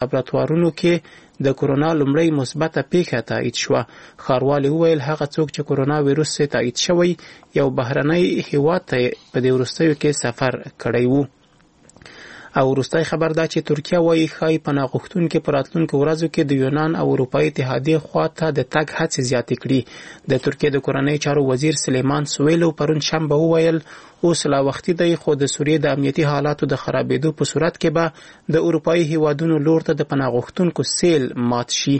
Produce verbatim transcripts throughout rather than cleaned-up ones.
لابراتوارونو کې د کرونا لومړۍ مثبته پېښه تایید شوه. ښاروالي وویل هغه څوک چې کرونا ویروس یې تایید شوی یو بهرنی هیواد ته په دې وروستیو کې سفر کړی و. او وروستی خبر دا چې ترکیه وایي ښایي پناه غوښتونکي په راتلونکو ورځو کې د یونان او اروپایي اتحادیې خوا ته د تګ هڅې زیاتې کړي. د ترکیې د کورنیو چارو وزیر سلیمان سویلو پرون شنبه وویل اوس لا وختي دی، خو د سوریې د امنیتي حالاتو د خرابېدو په صورت کې به د اروپایي هیوادونو لور ته د پناه غوښتونکو سیل مات شي.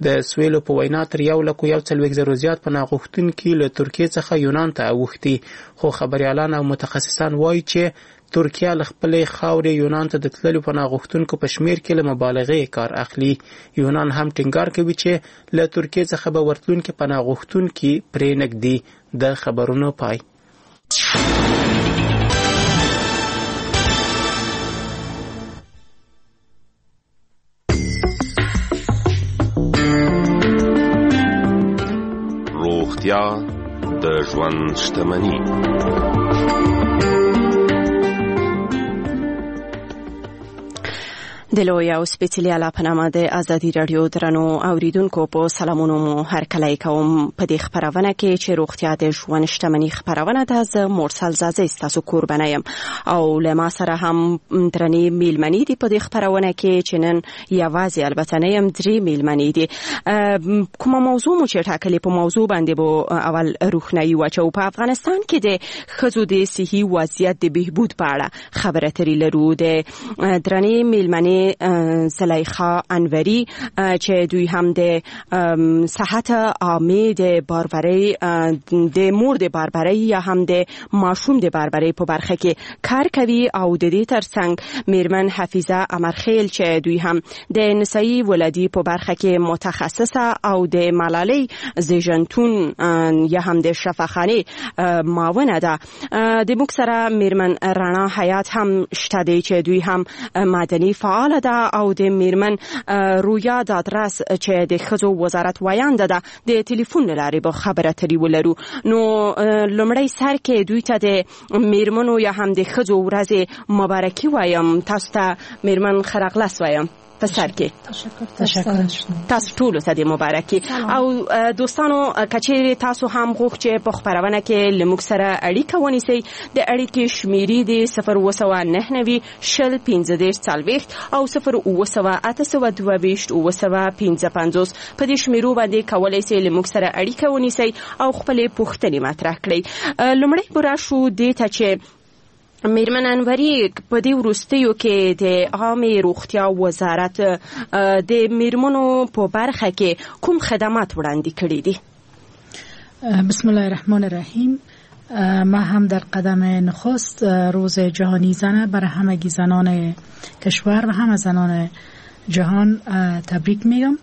د سویلو په وینا تر یو لکو یو څلوېښت زرو زیات پناه غوښتونکي له ترکیې څخه یونان ته اوښتي، خو خبریالان او متخصصان وایي چې ترکیه له خپلې خاورې یونان ته د تللو پناه غوښتونکو په شمېر کې له مبالغې کار اخلي. یونان هم ټینګار کوي چې له ترکیې څخه به ورتلونکي پناه غوښتونکي پرې نه ږدي. د خبرونو پای. روغتیا د ژوند شتمني. د لوی او سپېڅلي الله په نامه د ازادي راډیو درنو اوریدونکو په سلامونو مو هرکلی کوم. په دې خپرونه کې چې روغتیا د ژوند شتمني خپرونه ده، زه مرسل ځاځی ستاسو کوربنه یم او له ما سره هم درنې میلمنې دي په دې خپرونه کې چې نن یوازې البته نه یم، درې میلمنې دي. کومه موضوع مو چې ټاکلې په موضوع باندې به اول روښنايي واچوو. په افغانستان کې د ښځو د صحي وضعیت د بهبود په اړه خبرې اترې لرو. د درنې میلمنې زلیخا انوری چې دوی هم د صحت عامې د بارورۍ، د مور د بارورۍ یا هم د ماشوم د بارورۍ په برخه کې کار کوي، او د دې ترڅنګ میرمن حفیظه امرخیل چې دوی هم د نسایي ولادي په برخه کې متخصصه او د ملالۍ زیږنتون یا هم د شفاخانې معاونه ده. د موږ سره میرمن رڼا حیات هم شته دی چې دوی هم مدني فعال ده، او د میرمن رویا دادرس چې د ښځو وزارت ویانده ده د ټلیفون له لارې به خبره ترې ولرو. نو لومړی سر کې دوی ته د میرمنو یا هم د ښځو ورځې مبارکي وایم. تاسو ته میرمن خرغلس وایم په سر کې. تشکر تشکر تاسو ټولو ته د مبارکي. او دوستانو کچېرې تاسو هم غوښت چې په خپرونه کې له موږ سره اړیکه ونیسئ، د اړیکې شمیرې دي صفر اووه سوه نهه نوي شل پنځه دېرش څلوېښت او صفر اووه سوه اته سوه دوه ویشت اووه سوه پنځه پنځوس. په دې شمیرو باندې کولی شئ له موږ سره اړیکه ونیسئ او خپلې پوښتنې مطرح کړئ. لومړی به راشو دې ته چې میرمن انوری په دې وروستیو کې د عامې روغتیا وزارت د میرمنو په برخه کې کوم خدمات وړاندې کړي دي؟ بسم الله الرحمن الرحیم. ما هم در قدم نخست روز جهانی زن برای همگی زنان کشور و همه زنان جهان تبریک میگم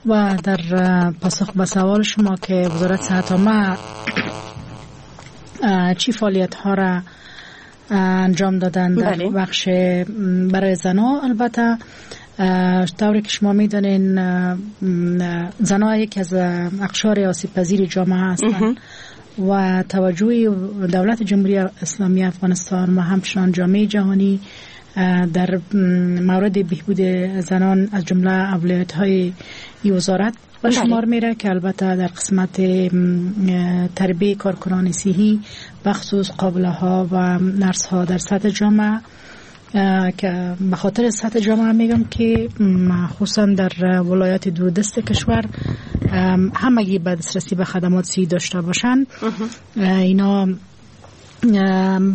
و در پاسخ به سوال شما که وزارت صحت عامه چی فعالیت ها را انجام دادن در بله. بخش برای زنها، البته طوری که شما میدانین زنها یکی از اقشار آسیب پذیر جامعه هستند و توجه دولت جمهوری اسلامی افغانستان و همچنان جامعه جهانی در مورد بهبود زنان از جمله اولویت های وزارت به شمار میره که البته در قسمت تربیه کارکنان صحی بخصوص قابله ها و نرس ها در سطح جامعه، که به خاطر سطح جامعه میگم که خصوصا در ولایات دوردست کشور همگی به دسترسی به خدمات صحی داشته باشن. اینا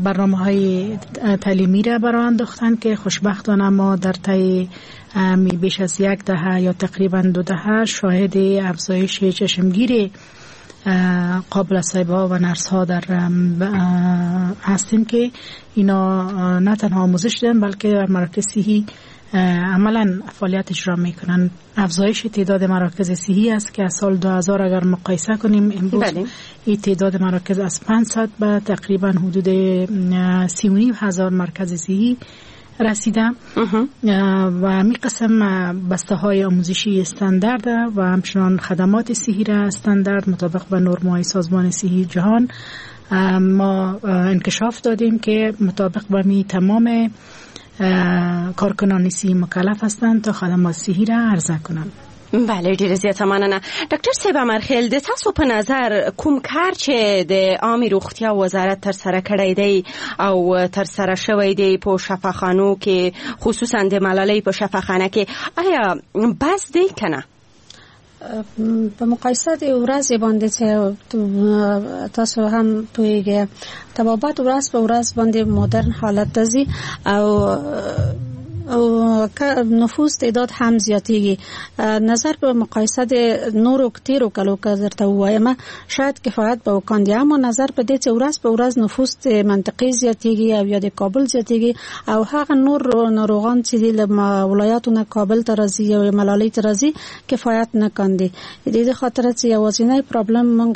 برنامه های تعلیمی را برای انداختن که خوشبختانه ما در طی بیش از یک دهه یا تقریبا دو دهه شاهد افزایش چشمگیر قابل صاحب ها و نرس ها در هستیم که اینا نه تنها آموزش دادن بلکه در مراکز صحی عملا فعالیت اجرا میکنن. افزایش تعداد مراکز صحی است که از سال دو هزار اگر مقایسه کنیم امروز این تعداد مراکز از پانصد به تقریبا حدود سی و نیم هزار مرکز صحی رسیده و می قسم بسته های آموزشی استاندارد و همچنان خدمات صحی را استاندارد مطابق به نرم های سازمان صحی جهان ما انکشاف دادیم که مطابق به می تمام کارکنان صحی مکلف هستند تا خدمات صحی را عرضه کنند. بله، ډیره زیاته مننه. ډاکټر صاحب امرخیل، د تاسو په نظر کوم کار چې د عامې روغتیا وزارت تر سره کړی دی او تر سره شوی دی په شفاخانو کې، خصوصا د ملالۍ په شفاخانه کې، آیا بس دی که نه؟ په مقایسه د ورځې باندې چې تاسو هم پوهیږئ، طبابت ورځ په ورځ باندې مدرن حالت ته ځي او او نفوس تعداد هم زیاتیږي. نظر په مقایسه د نورو تیرو کلو که درته ووایم شاید کفایت به وکاندي، اما نظر په دې چې ورځ په ورځ نفوس د منطقې زیاتیږي او یا د کابل زیاتیږي او هغه نور ناروغان چې د ولایاتو نه کابل ته راځي او ملالۍ ته راځي کفایت نه کاندي. د دې خاطر چې یوازینی پرابلم مونږ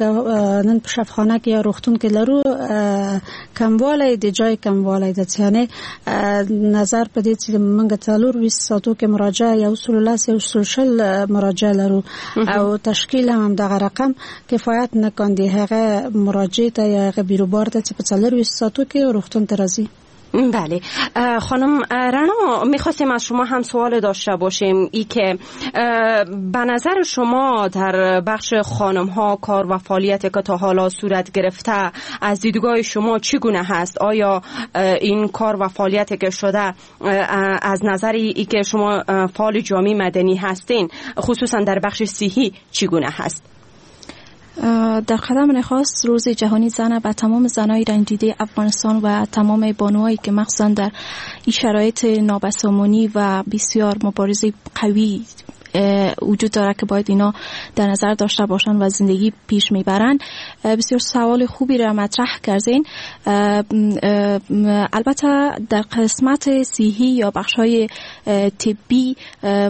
نن په شفاخانه کې یا روغتون کې لرو کموالی د جای کموالی ده، یعنې نظر په دې چې موږ څلور ویشت ساعتو کې مراجعه یو سل لس یو سل شل مراجعه لرو او تشکیل هم دغه رقم کفایت نه کاندي هغه مراجعه ته یا هغه بیروبار ته چې په څلور ویشت ساعتو کې روغتون ته راځي. بله، خانم رنا، میخواستیم از شما هم سوال داشته باشیم ای که به نظر شما در بخش خانم ها کار و فعالیت که تا حالا صورت گرفته از دیدگاه شما چگونه هست؟ آیا این کار و فعالیت که شده از نظر ای که شما فعال جامعه مدنی هستین خصوصا در بخش صحی چگونه هست؟ در قدم نخست روز جهانی زن به تمام زنای رنجیده افغانستان و تمام بانوهایی که مخصوصا در این شرایط نابسامانی و بسیار مبارزه قوی وجود داره که باید اینا در نظر داشته باشن و زندگی پیش میبرن، بسیار سوال خوبی را مطرح کردین. البته در قسمت صحی یا بخش‌های طبی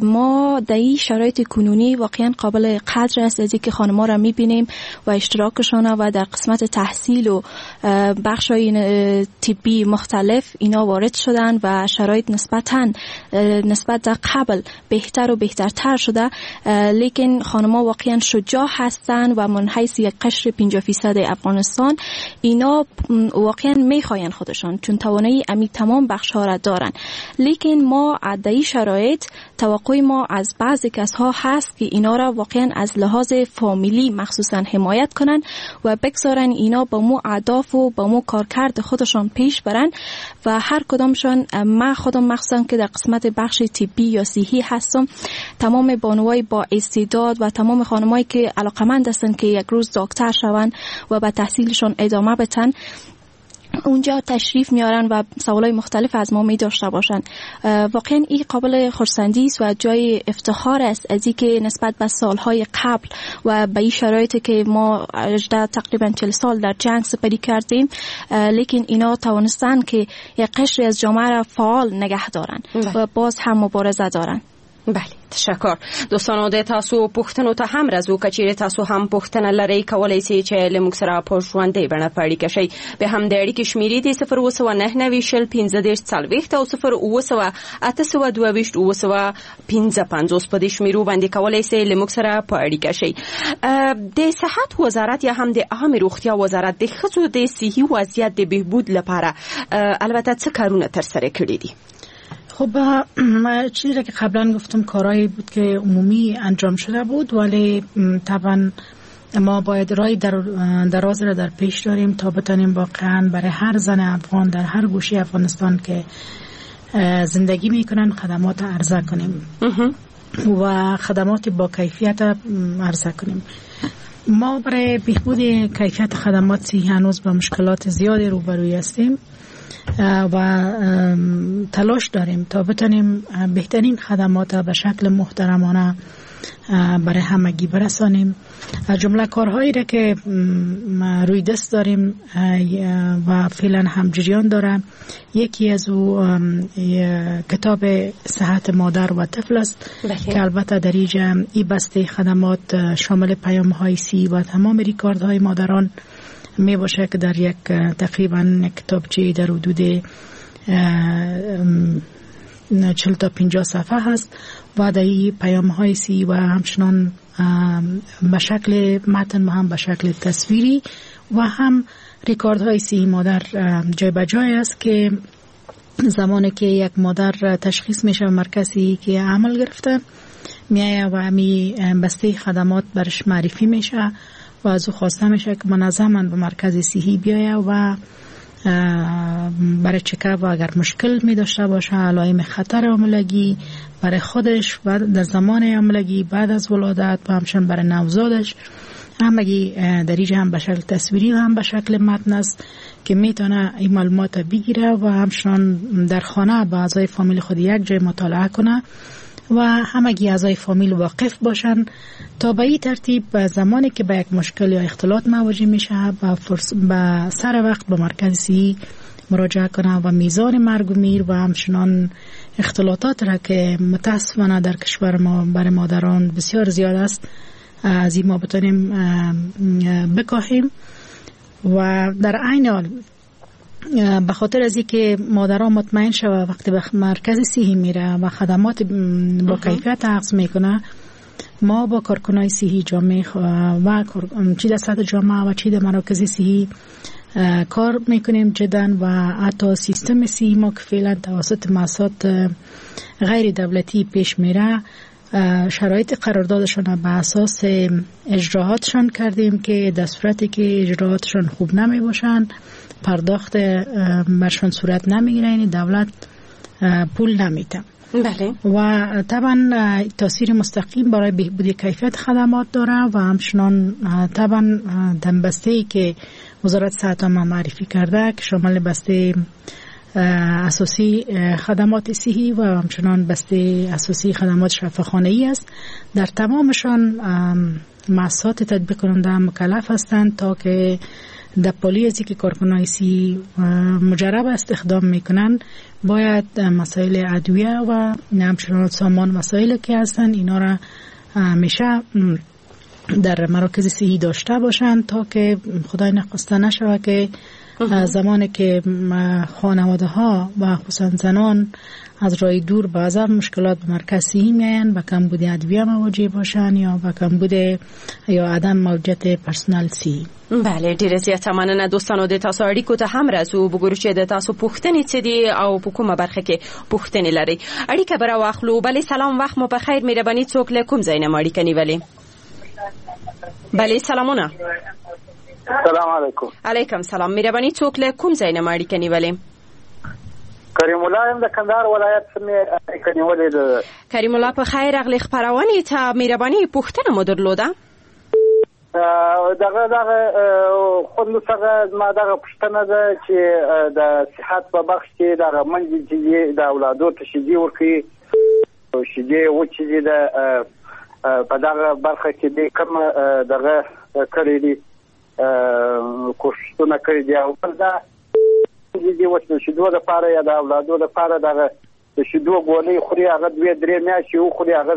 ما در این شرایط کنونی واقعا قابل قدر است از اینکه خانم‌ها را میبینیم و اشتراکشان و در قسمت تحصیل و بخش‌های طبی مختلف اینا وارد شدن و شرایط نسبتاً نسبت در قبل بهتر و بهترتر شده، لیکن خانم‌ها واقعا شجاع هستند و من حیث یک قشر پنجاه درصد افغانستان اینا واقعا میخواین خودشان چون توانایی امی تمام بخش‌ها را دارن. لیکن ما در این شرایط توقع ما از بعضی کسها هست که اینا را واقعا از لحاظ فامیلی مخصوصا حمایت کنن و بگذارن اینا با مو اهداف و با مو کارکرد خودشان پیش برن و هر کدامشان، من خودم مخصوصا که در قسمت بخش طبی یا صحی هستم، تمام بانوای با استعداد و تمام خانمایی که علاقمند هستند که یک روز دکتر شوند و به تحصیلشان ادامه بدن اونجا تشریف میارن و سوالای مختلف از ما می داشته باشن. واقعا این قابل خرسندی است و جای افتخار است از اینکه نسبت به سالهای قبل و به این شرایطی که ما تقریبا چهل سال در جنگ سپری کردیم، لیکن اینا توانستن که یک قشری از جامعه را فعال نگه دارن و باز هم مبارزه دارن. بله، تشکر. دوستانو د تاسو پوښتنو ته هم راځو. که چیرې تاسو هم پوښتنه لرئ کولای شئ چې له موږ سره په ژوندۍ بڼه په اړیکه شئ. به هم د اړیکې شمیرې دي صفر اووه سوه نهه نوي شل پنځه دېرش څلوېښت او صفر اووه سوه اته سوه دوه ویشت اووه سوه پنځه پنځوس. په دې شمیرو باندې کولای شئ له موږ سره په اړیکه شئ. د صحت وزارت یا هم د عامې روغتیا وزارت د ښځو د صحي وضعیت د بهبود لپاره البته څه کارونه ترسره کړي دي؟ خب چیزی که قبلا گفتم کارهایی بود که عمومی انجام شده بود، ولی طبعا ما باید رای در دراز را در پیش داریم تا بتانیم واقعا برای هر زن افغان در هر گوشه افغانستان که زندگی میکنن خدمات عرضه کنیم و خدمات با کیفیت عرضه کنیم. ما برای بهبود کیفیت خدمات صحی هنوز با مشکلات زیادی روبروی هستیم و تلاش داریم تا بتانیم بهترین خدمات به شکل محترمانه برای همگی برسانیم. از جمله کارهایی را که روی دست داریم و فعلا هم جریان داره، یکی از او کتاب صحت مادر و طفل است که البته در اینجا ای بسته خدمات شامل پیام های سی و تمام ریکاردهای مادران می باشه که در یک تقریبا کتابچه در حدود چهل تا پنجاه صفحه هست و در این پیام های سی و همچنان به شکل متن و هم به شکل تصویری و هم ریکاردهای سی مادر جای به جای است که زمانی که یک مادر تشخیص میشه و مرکزی که عمل گرفته میایه و همی بسته خدمات برش معرفی میشه و از او خواسته میشه که منظما به مرکز صحی بیایه و برای چکاپ و اگر مشکل می داشته باشه، علائم خطر حاملگی برای خودش و در زمان حاملگی، بعد از ولادت و همچنین برای نوزادش، همگی در اینجا هم به شکل تصویری و هم به شکل متن است که میتونه این معلومات بگیره و همچنان در خانه با اعضای فامیل خود یک جای مطالعه کنه و همگی اعضای فامیل واقف باشن تا به این ترتیب زمانی که به یک مشکل یا اختلاط مواجه میشه به فرص... به سر وقت به مرکز صحی مراجعه کنه و میزان مرگ و میر و همچنان اختلاطات را که متاسفانه در کشور ما برای مادران بسیار زیاد است از این ما بتونیم بکاهیم. و در عین حال به خاطر از اینکه مادران مطمئن شوه وقتی به مرکز صحی میره و خدمات با کیفیت اخذ میکنه، ما با کارکنای صحی جامعه و چی در سطح جامعه و چی در مراکز صحی کار میکنیم جدا و حتی سیستم صحی ما که فعلا توسط مؤسسات غیر دولتی پیش میره شرایط قراردادشان به اساس اجراهاتشان کردیم که در صورتی که اجراهاتشان خوب نمی باشند پرداخت برشان صورت نمیگیره، یعنی دولت پول نمیده. بله. و طبعا تاثیر مستقیم برای بهبود کیفیت خدمات داره و همچنان طبعا دنبسته که وزارت صحت ما معرفی کرده که شامل بسته اساسی خدمات صحی و همچنان بسته اساسی خدمات شفاخانه‌ای است، در تمامشان مؤسسات تطبیق کننده مکلف هستند تا که در پالی ازی که کارکنای صحی مجرب استخدام میکنن باید مسائل ادویه و همچنان سامان مسائل که هستن اینا را همیشه در مراکز صحی داشته باشند تا که خدای نخواسته نشود که زمانی که خانواده ها و خصوصا زنان از راه دور بعضا مشکلات به مرکز صحی میاین و کمبود ادویه مواجه باشن یا به کمبود یا عدم موجودیت پرسنل صحی. بله، ډیره زیاته مننه دوستانو د تاسو اړیکو ته هم راځو، وګورو چې د تاسو پوښتنې څه دي او په کومه برخه کې پوښتنې لرئ. اړیکه به راواخلو. بله سلام، وخت مو په خیر. مهرباني څوک له کوم ځای نه مو اړیکه نیولې؟ بله سلامونه. سلام علیکم. علیکم سلام. مهرباني څوک له کوم ځای نه مو اړیکه نیولې؟ کریم الله یم د کندهار ولایت څخه اړیکه نیولې ده. کریم الله په خیر راغلې خپرونې ته. مهرباني پوښتنه مو درلوده؟ دغه دغه خوندو څخه زما دغه پوښتنه ده چې د صحت په بخش کې دغه منځ چې د اولادو ته شیدې ورکوي، شیدې وچې دي، د په دغه برخه کې دې کوم دغه کړی دي کوښښونه کړي دي؟ او بل دا دې اوس د شیدو لپاره یا د اولادو لپاره دغه د شیدو ګولۍ خوري، هغه دوې درې میاشتې وخوري، هغه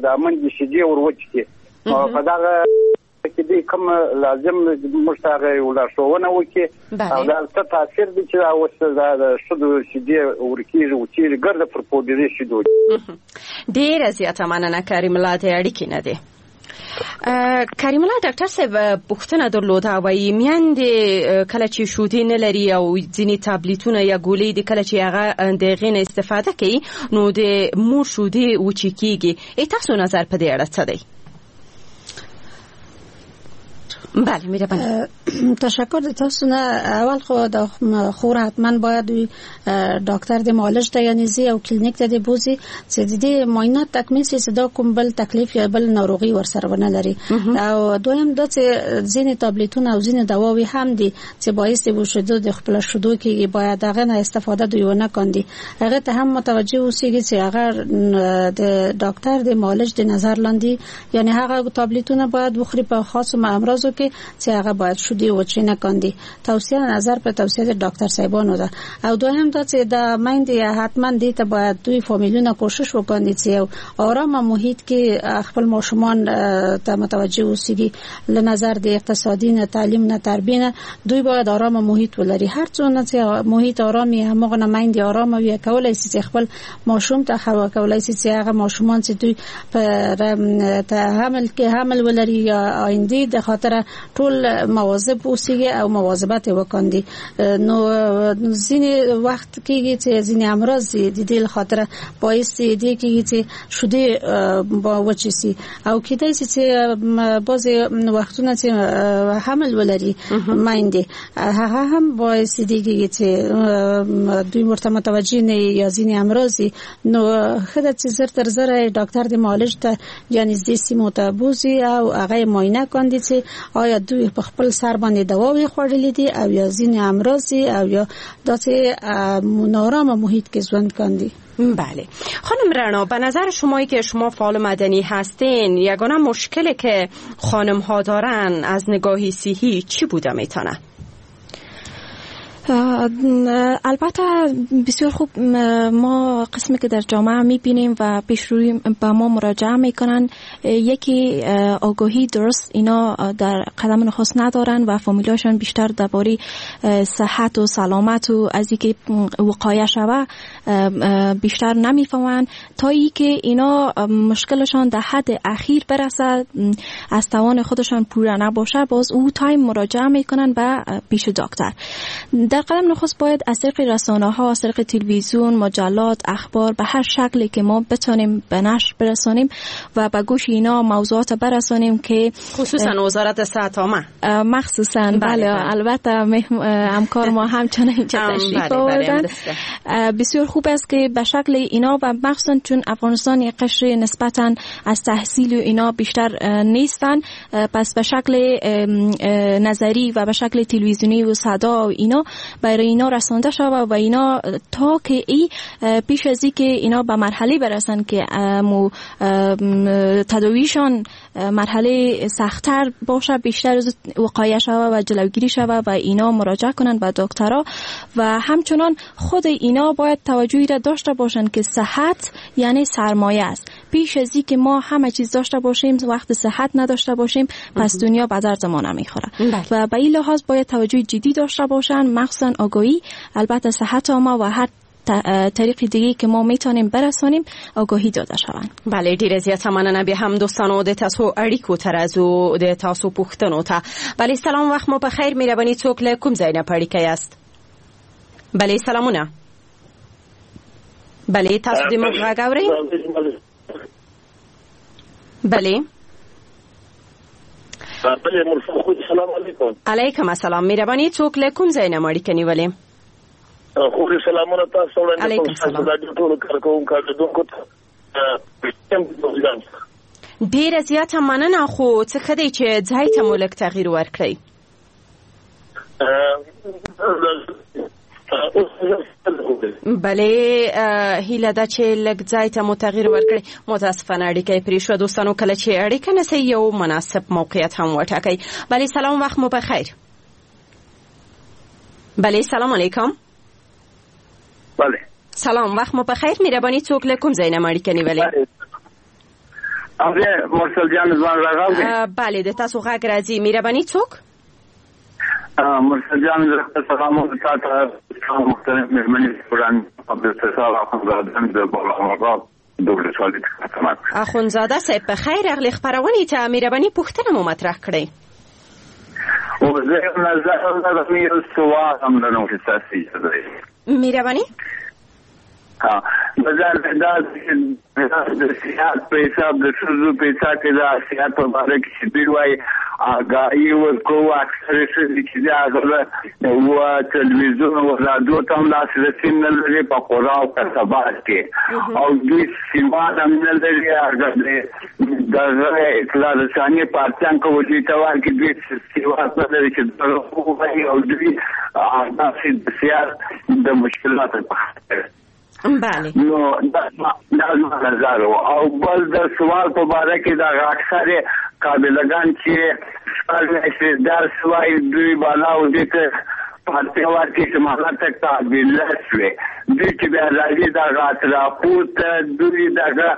د منځ شیدې ور وچې، په دغه کې دې کوم لازم موږ ته هغه یو لارښوونه وکړي او دا څه تاثیر دی چې دا اوس د شیدو شیدې ورکېږي وچېږي ګرده پر پوډري شیدو. ډېره زیاته مننه کریم الله د اړیکې نه دی. کریم الله ډاکټر صاحب پوښتنه درلوده، وایي میندې کله چې شودې نه لري او ځینې تابلیتونه یا ګولۍ دي کله چې هغه د هغې نه استفاده کوي نو د مور شودې وچې کېږي، تاسو نظر په دې اړه څه دی؟ بله مهرباني. تشکر تاسو نه. اول خو د خور حتما باید ډاکټر د معالج ته یعنی زی او کلینیک ته دی بوزي چې د دې معاینات تکمیل شي چې دا کوم بل تکلیف یا بل ناروغي ورسره ونه لري. او دویم دا چې ځینې تابلیتونه او ځینې دواوي هم دي چې باعث د شیدو د خپل شیدو کې باید هغه نه استفاده دوی ونه کاندي، هغه ته هم متوجه اوسیږي چې هغه د ډاکټر د معالج د نظر لاندې یعنی هغه تابلیتونه باید وخوري په خاصو امراضو کې چې هغه باید شودې وچې نه کاندي. توصیه نظر په توصیه د ډاکټر صاحبانو ده. او دویم دا چې د میندې حتما دې ته باید دوی فامیلونه کوشش وکړي چې یو آرامه محیط کې خپل ماشومان ته متوجه اوسیږي، له نظر د اقتصادي نه تعلیم نه تربیه نه دوی باید آرامه محیط ولري. هر څونه چې محیط آرامي همغه نه میندې آرامه وي کولای شي چې خپل ماشوم ته خوا کولای شي چې هغه ماشومان چې دوی په حمل کې حمل ولري یا آینده د خاطر سره ټول مواظب اوسېږي او مواظبت وکاندي. نو ځینې وخت کېږي چې ځینې امراض د دې خاطر باعث دي کېږي چې شودې با وچې سي، او کېدای شي چې بعضې وختونه چې حمل ولري میندې، هغه هم باعث دي کېږي چې دوی ورته متوجه نه یا ځینې امراض. نو ښه ده چې زر تر زره ډاکټر د معالج ته یا نږدې سیمو ته بوځي او هغه یې معاینه کاندي چې آیا دوی په خپل سر باندې دواوې خوړلې دي او یا ځینې امراض او یا داسې نارامه محیط کې ژوند کاندي. بله خانم رعنا، به نظر شمایی که شما فعال مدنی هستین، یگانه مشکلی که خانم ها دارن از نگاهی صحی چی بوده میتونه؟ البته بسیار خوب، ما قسمی که در جامعه میبینیم و پیش روی به ما مراجعه میکنن، یکی آگاهی درست اینا در قدم نخست ندارن و فامیلاشان بیشتر درباره صحت و سلامت و از اینکه وقایه شوه بیشتر نمیفهمن، تا اینکه اینا مشکلشان در حد اخیر برسه، از توان خودشان پوره نباشه، باز او تایم مراجعه میکنن به پیش دکتر. در قدم نخست باید از طریق رسانه ها، از طریق تلویزیون، مجلات، اخبار، به هر شکلی که ما بتونیم به نشر برسانیم و به گوش اینا موضوعات برسانیم که خصوصا وزارت صحت عامه مخصوصا. بله, بله. البته همکار ما همچنین اینجا تشریف آوردن. بسیار خوب است که به شکل اینا و مخصوصا چون افغانستان یک قشر نسبتا از تحصیل و اینا بیشتر نیستن، پس به شکل نظری و به شکل تلویزیونی و صدا و اینا برای اینا رسانده شود و اینا تا که ای پیش از ای که اینا به مرحله برسن که تداویشان مرحله سخت‌تر باشه، بیشتر از وقایه شود و جلوگیری شود و اینا مراجعه کنن به دکترها. و همچنان خود اینا باید توجهی را داشته باشن که صحت یعنی سرمایه است. پیش از ای که ما همه چیز داشته باشیم وقت صحت نداشته باشیم، پس دنیا به درد ما نمیخوره. و به این لحاظ باید توجه جدی داشته باشن، مخصوصا آگاهی، البته صحت عامه و هر طریق دیگه که ما میتونیم برسانیم آگاهی داده شوند. بله ډیره زیاته مننه بیا هم دوستانو د تاسو اړیکو ته راځو، د تاسو پوښتنو ته. بله سلام، وخت مو په خیر. مهرباني څوک له کوم ځای نه په اړیکه یاست؟ بله سلامونه. بله تاسو د موږ غږ اورئ؟ بله بله مرسل خو سلام علیکم. علیکم السلام. مهرباني څوک له کوم ځای نه اړیکه نیولې؟ خو سلامونه تاسو وړاندې کوم، تاسو د ټولو کارکوونکو کارکوونکو ته ډیره زیاته مننه. خو څه ښه دی چې ځای ته مو لږ تغییر ورکړئ. بله هیله ده چې لږ ځای ته مو تغییر ورکړئ. متاسفانه اړیکه یې پرې شوه. دوستانو کله چې اړیکه نسئ یو مناسب موقعیت هم وټاکئ. بله سلام، وخت مو په خیر. بله سلام علیکم. بله سلام، وخت مو په خیر. مهرباني څوک له کوم ځای نه اړیکه نیولې؟ اوه مرسل جان ځوان راغلی. بله د تاسو غږ راځي. مهرباني څوک؟ مرسل جان زه سلام تاسو ته محترم مهمنې وړاندې عبدالستار اخوندزاده د بالا د ولسوالۍ څخه. اخوندزاده صاحب په خیر راغلې خپرونې ته. مهرباني پوښتنه مو مطرح کړئ. او زه نظر لرم یو سوال هم لرم چې تاسو اجازه مهرباني. ها بازار دا د صحت په حساب د ښځو په حساب کې د صحت په باره کې چې دوی وایي آګاهي ورکوو، اکثره ښځې چې دي هغه و تلویزیون او راډیو ته هم لاسرسی نه لري په قرا او قصبات کې، او دوی سواد هم نه لري. هغه دغه اطلاع رساني پارتیان که دوی ته وایي چې دوی سواد نه لري چې دغه ووایي، او دوی داسې د صحت د مشکلاتو په خاطر. بله نو دا زما نظر و. او بل د سوال په باره کې دغه اکثر قابلهګان چې شپږ میاشتې درس وایي دوی بالا او دې ته پارتیا ورکړي چې مالا ته قابله شوې، دوی چې بیا راځي دغه اطرافو ته دوی دغه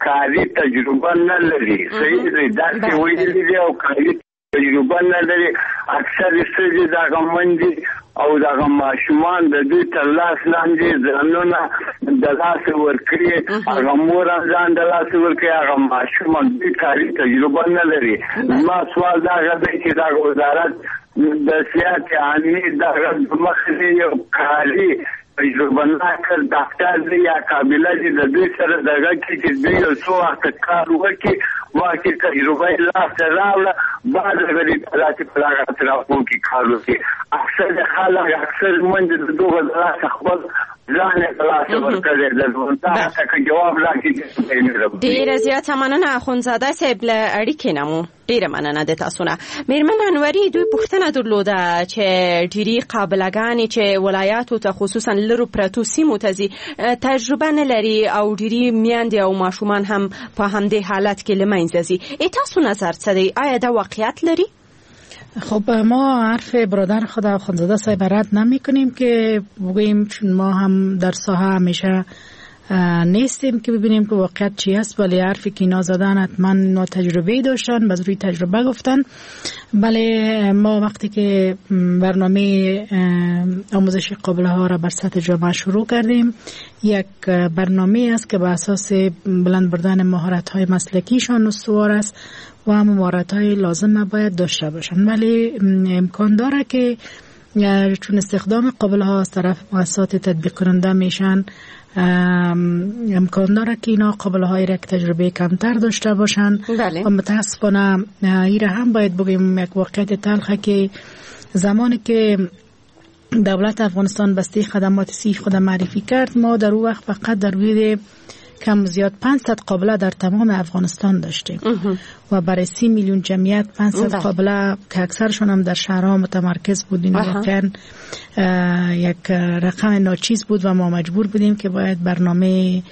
کاري تجربه نه لري. صحیح دی، درس یې ویلي دي او کاري تجربه نه لري. اکثر ښځې دغه منډې او دغه ماشومان د دوی تر لاس لاندې ځانونه د لاسه ورکړي، هغه مور هم ځان د لاسه ورکړي، هغه ماشوم هم دوی کاري تجربه نه لري. زما سوال دغه دی چې دغه وزارت د صحت عامې دغه مخې یو کاري تجربه ناک ډاکټر دی یا قابله دی د دوی سره دغه کې چې دوی یو څو وخته کار وکړي، وخت تجربه یې لاسته راوړه، بعد هغه دې داسې په دغه اطرافو کې کار وکړي. اکثر خلک اکثر منډې د دغه د لاسه خپل ځان یې د لاسه ورکړی دی. دا که جواب راکړي. ډېره زیاته مننه اخوندزاده صاحب له اړیکې نه مو ډېره مننه د تاسو نه. میرمن انوري دوی پوښتنه درلوده چې ډېری قابلهګانې چې ولایاتو ته خصوصا لرو پرتو سیمو ته ځي تجربه نه لري او ډېری میندې او ماشومان هم په همدې حالت کې له منځه ځي. ای تاسو نظر څه دی؟ آیا دا واقعیت لري؟ خب ما حرف برادر خود اخوندزاده صاحب رد نمی کنیم که بگوییم، چون ما هم در ساحه همیشه نیستیم که ببینیم که واقعیت چی است، ولی حرفی که اینا زدن حتما اینا تجربه داشتن، باز روی تجربه گفتن. بله ما وقتی که برنامه آموزش قابله ها را بر سطح جامعه شروع کردیم، یک برنامه است که به اساس بلند بردن مهارت های مسلکیشان استوار است و هم مهارت های لازم باید داشته باشند. ولی امکان داره که چون استخدام قابله ها از طرف مؤسسات تطبیق کننده میشن، امکان داره که اینا قابله های را که تجربه کمتر داشته باشن. بله. و متاسفانه ایره هم باید بگیم یک واقعیت تلخه که زمانی که دولت افغانستان بسته خدمات سی خود معرفی کرد، ما در او وقت فقط در حدود کم زیاد پانصد قابله در تمام افغانستان داشتیم و برای سی میلیون جمعیت پانصد قابله که اکثرشون هم در شهرها متمرکز بود، این واقعا یک رقم ناچیز بود و ما مجبور بودیم که باید برنامه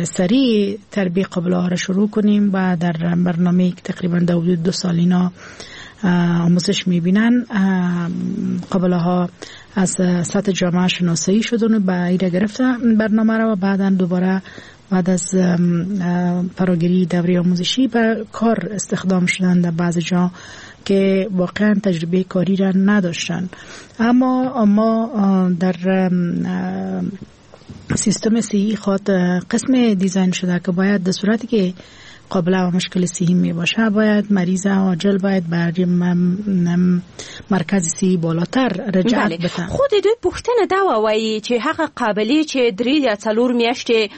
سریع تربیه قابله ها را شروع کنیم و در برنامه که تقریبا در حدود دو سال اینا آموزش میبینن، قابله ها از سطح جامعه شناسایی شدن و به ایره گرفتن برنامه را و بعدا دوباره بعد از فراگیری دوره آموزشی به کار استخدام شدن در بعض جا که واقعا تجربه کاری را نداشتن. اما ما در سیستم سی خود قسم دیزاین شده که باید در صورتی که قابله و مشکل صحی می باشه باید مریض عاجل باید برای مرکز صحی بالاتر رجعت بته. خود دوی پوښتنه دا وایي چې هغه قابلې چې درې یا څلور میاشتې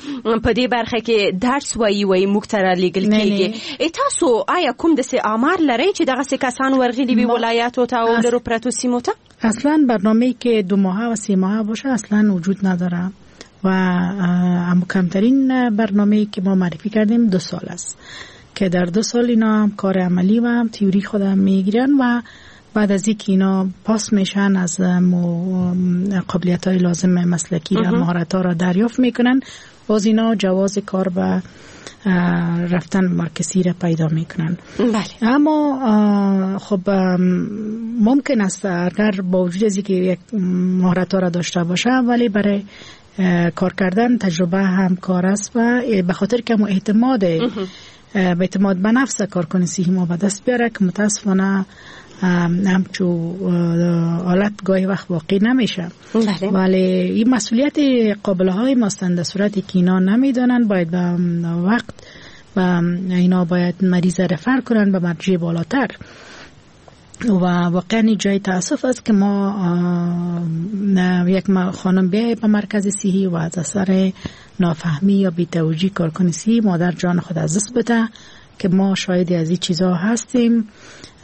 په دې برخه کې درس وایي وایي موږ ته رالیږل کېږي، تاسو آیا کوم داسې آمار لرئ چې دغسې کسان ورغلي وي ولایاتو ته او لرو پرتو سیمو ته؟ اصلا برنامه‌ای که دو ماهه و سه ماهه باشه اصلا وجود نداره و هم کمترین برنامه‌ای که ما معرفی کردیم دو سال است که در دو سال اینا هم کار عملی و هم تئوری خودم میگیرن و بعد از اینکه اینا پاس میشن از قابلیت‌های لازم مسلکی و مهارت‌ها را دریافت میکنن، باز اینا جواز کار به رفتن مرکزی را پیدا میکنن. بله. اما خب ممکن است اگر با وجود از اینکه یک مهارت‌ها را داشته باشه ولی برای کار کردن تجربه هم کار است و به خاطر که ما اعتماد به اعتماد به نفس کارکن صحی ما به دست بیاره که متاسفانه همچو حالت گاهی وقت واقع نمیشه. بله. ولی این مسئولیت قابله های ماستند در صورتی که اینا نمیدانن باید به وقت و اینا باید مریض رفر کنن به مرجع بالاتر و واقعا جای تاسف است که ما یک خانم بیای به مرکز صحی و از اثر نافهمی یا بی‌توجهی کارکن صحی مادر جان خود از دست بده که ما شاهد از این چیزها هستیم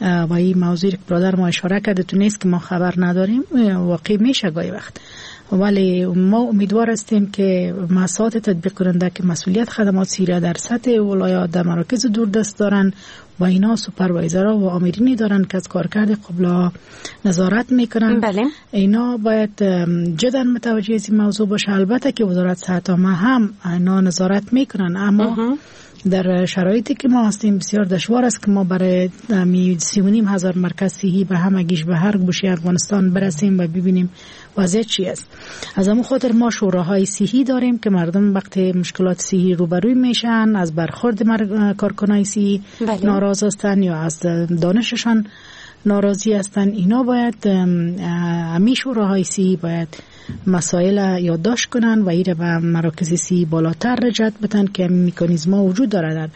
و این موضوع که برادر ما اشاره کرده تو نیست که ما خبر نداریم، واقع میشه گاهی وقت. ولی ما امیدوار هستیم که مؤسسات تطبیق کننده که مسئولیت خدمات صحی را در سطح ولایات در مراکز دوردست دارن و اینا سوپروایزرها و آمرینی دارن که از کارکرد قبلا نظارت میکنن. بله. اینا باید جدا متوجه از این موضوع باشه. البته که وزارت صحت عامه هم اینا نظارت میکنن، اما در شرایطی که ما هستیم بسیار دشوار است که ما برای سی و نیم هزار مرکز صحی به همگیش به هر گوشه افغانستان برسیم و ببینیم وضعیت چی است. از همون خاطر ما شوراهای صحی داریم که مردم وقتی مشکلات صحی روبروی میشن از برخورد مر... کارکنای صحی ناراض هستن یا از دانششان ناراضی هستن. اینا باید همی شوراهای صحی باید مسائل یادداشت کنن و ایره به مراکز صحی بالاتر رجعت بدن که مکانیزم ها وجود داره در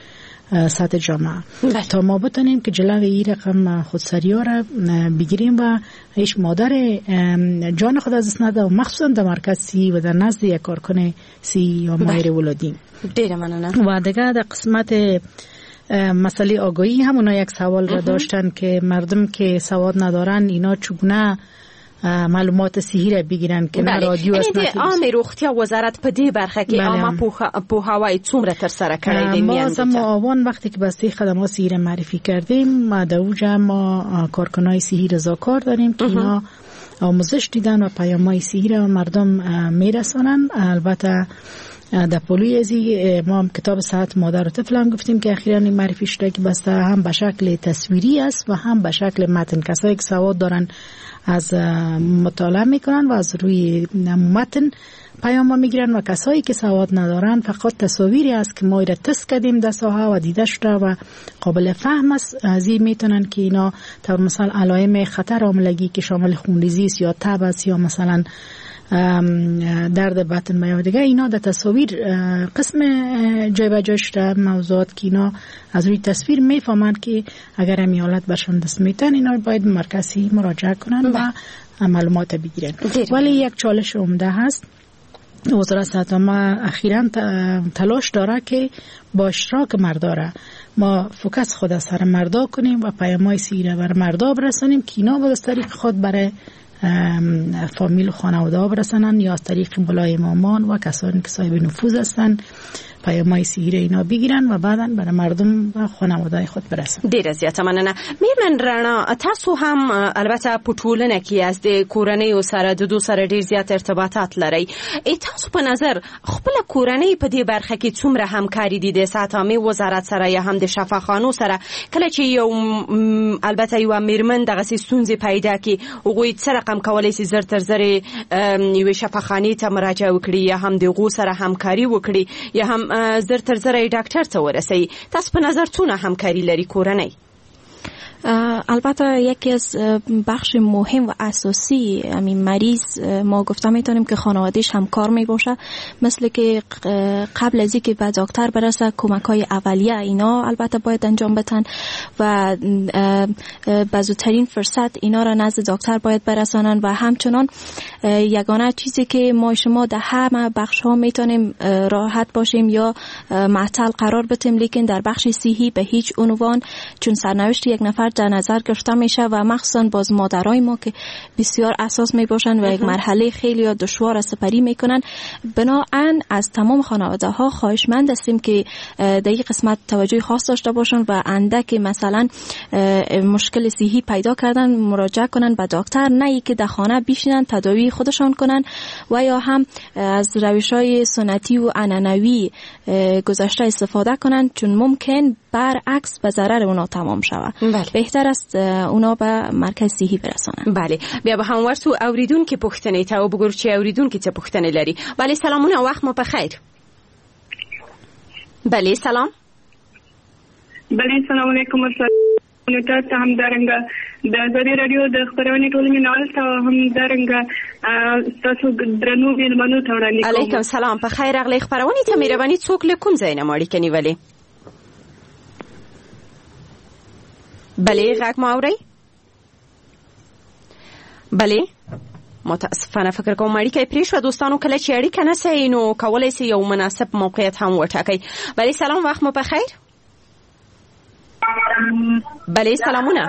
سطح جامعه بله. تا ما بتونیم که جلوی این رقم خودسری ها را بگیریم و هیچ مادر جان خود از دست نده و مخصوصا در مرکز صحی و در نزد یک کارکن صحی یا ماهر ولادی. ډیره مننه. و دیگه در قسمت مسئله آگاهی هم اونا یک سوال را داشتن که مردم که سواد ندارن اینا چگونه معلومات صحیح را بگیرن که نه رادیو است نه عامې روغتیا وزارت په دې برخه کې عامه پوهاوی څومره ترسره کړی دی؟ ما از معاون وقتی که بسته خدمات صحی را معرفی کردیم، ما در اونجا ما کارکنای صحی رضاکار داریم که اینا آموزش دیدن و پیام‌های صحی را مردم میرسانن. البته در پلوی ازی ما هم کتاب صحت مادر و طفل هم گفتیم که اخیراً معرفی شده که بسته هم به شکل تصویری است و هم به شکل متن. کسایی که سواد دارن از مطالعه میکنن و از روی متن پیام میگیرن و کسایی که سواد ندارن فقط تصاویری است که ما را تست کردیم در ساحه و دیده شده و قابل فهم است. از این میتونن که اینا تا مثلا علائم خطر حاملگی که شامل خونریزی است یا تب است یا مثلا درد بطن و یا دیگه، اینا در تصاویر قسم جای به جای شده موضوعات که اینا از روی تصویر میفهمند که اگر همی حالت برشان دست میتن اینا باید مرکزی مراجعه کنن و معلومات بگیرن. ولی یک چالش عمده هست. وزارت صحت عامه اخیراً تلاش داره که با اشتراک مردا را ما focus خود از سر مردا کنیم و پیام‌های صحی را بر مردا برسانیم که اینا باید از طریق خود برای فامیل و خانواده ها برسانن یا از طریق ملای امامان و کسانی که صاحب نفوذ هستند پیام‌های صحی را اینا بگیرن و بعداً برای مردم و خانواده خود برسن. ډیره زیاته مننه. میرمن رڼا، تاسو هم البته په ټولنه کې یاست، د کورنیو سره د دوی سره ډیر زیات ارتباطات لرئ. ای تاسو په نظر خپل کورنۍ په دې برخه کې څومره همکاري دي د صحت عامې وزارت سره یا هم د شفاخانو سره؟ کله چې یو البته یو میرمن دغسې ستونزې پیدا کړي، هغوی څه رقم کولی شي زر تر زره یوې شفاخانې ته مراجعه وکړي یا هم د هغو سره همکاري وکړي یا هم زر تر زره ډاکټر ته ورسي؟ تاسو په نظر څونه همکاري لري کورنۍ؟ البته یکی از بخش مهم و اساسی همین مریض ما گفته میتونیم که خانوادهش همکار میباشه، مثل که قبل از اینکه به دکتر برسه کمک های اولیه اینا البته باید انجام بدن و به زودترین فرصت اینا را نزد دکتر باید برسانن. و همچنان یگانه چیزی که ما شما در همه بخش ها میتونیم راحت باشیم یا معطل قرار بدیم، لیکن در بخش صحی به هیچ عنوان، چون سرنوشت یک نفر در نظر گرفته میشه و مخصوصا باز مادرای ما که بسیار اساس می باشن و یک مرحله خیلی دشوار سپری میکنن. بناهن از تمام خانواده ها خواهشمند هستیم که در این قسمت توجه خاص داشته باشن و اندک مثلا مشکل صحی پیدا کردن مراجعه کنن به دکتر، نه اینکه در خانه بشینن تداوی خودشان کنن و یا هم از روش های سنتی و عنعنوی گذشته استفاده کنن، چون ممکن برعکس به ضرر اونا تمام شود. بله. بهتر است اونا به مرکز صحي برسانن. بله، بیا به هم ورسو اوریدونکو پوښتنې ته وګورو چې اوریدونکي څه پوښتنې لري. بله، سلامونه، وخت مو په خیر. بله، سلام. بله، سلام علیکم. تاسو همدارنګه د ازادي رادیو د خپرونې ټولو مینهوالو ته همدارنګه تاسو درنو مېلمنو ته وړاندې کوم. علیکم سلام، په خیر راغلئ خپرونې ته. مهرباني څوک له کوم ځای نه مو اړیکه نیولې؟ بله، غږ مو اورئ؟ بله، متاسفانه فکر کوم اړیکه یې پرې شوه. دوستانو، کله چې اړیکه نه سئ نو کولی سئ یو مناسب موقعیت هم وټاکئ. بله، سلام، وخت مو په خیر. بله، سلامونه.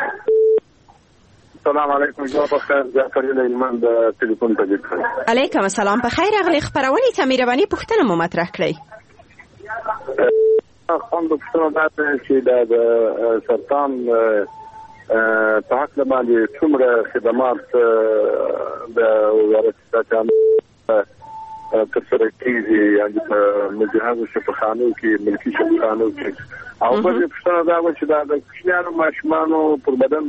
سلام علیکم، جواب بخیر. جعفر هلمند تلیفون ته کړ. علیکم السلام، په خیر راغلئ خپرونې ته. مهرباني پوښتنه مو مطرح کړئ. خوند پوښتنه دا ده چې د سرطان په هکله باندې څومره خدمات د وزارت صحت عامې ترسره کېږي، یعنې په مجهزو شفاخانو کې، ملکي شفاخانو کې؟ او بله پوښتنه دا وه چې دا د کوچنیانو ماشومانو پر بدن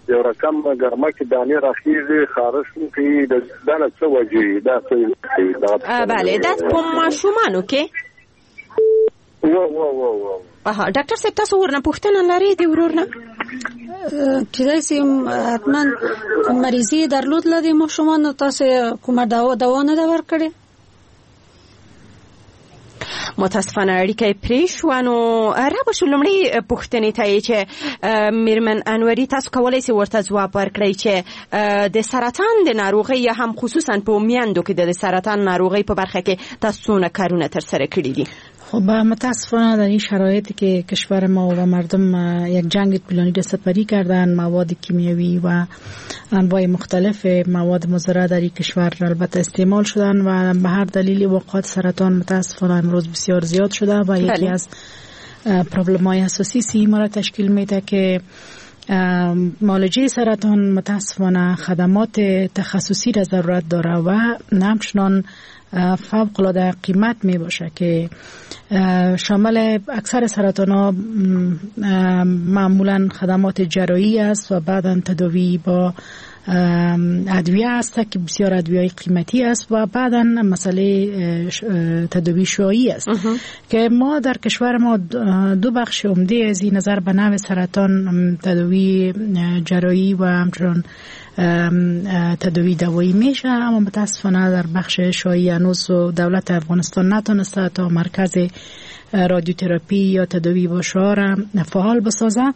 یو رقم ګرمه کې دانې راخیږي، خارښ کوي، دا له څه وجې؟ دا څه بله، دا په ماشومانو کې؟ و و و و اها ډاکټر صاحب تاسو ورنه پوښتنه لرئ دی ورور نه؟ کیدای شي حتما کوم مریضي درلود لري ماشومانو، تاسو کومه دوا دوا نه ده ورکړې؟ متاسفانه اړیکه پرې شوه. نو را به شو لومړۍ پوښتنې ته یې چې میرمن انوري تاسو کولی شئ ورته ځواب ورکړئ چې د سرطان د ناروغۍ یا هم خصوصا په میندو کې د سرطان ناروغۍ په برخه کې تاسو څونه کارونه ترسره کړي دي؟ خب متاسفانه در این شرایطی که کشور ما و مردم یک جنگ طولانی را سپری کردن، مواد کیمیاوی و انواع مختلف مواد مضره در این کشور البته استعمال شدن و به هر دلیل وقات سرطان متاسفانه امروز بسیار زیاد شده و یکی از پرابلم های اساسی سی ما را تشکیل میده که معالجه سرطان متاسفانه خدمات تخصصی را ضرورت داره و همچنان فوق العاده قیمت می باشه که شامل اکثر سرطان ها معمولا خدمات جراحی است و بعدا تداوی با ادویه است که بسیار ادویه قیمتی است و بعدا مسئله تداوی شعاعی است که ما در کشور ما دو بخش عمده از این نظر به نوع سرطان تداوی جراحی و همچنان تداوی دوایی میشه، اما متاسفانه در بخش شعاعی هنوز دولت افغانستان نتونسته تا مرکز رادیوتراپی یا تداوی با شعاع را فعال بسازه.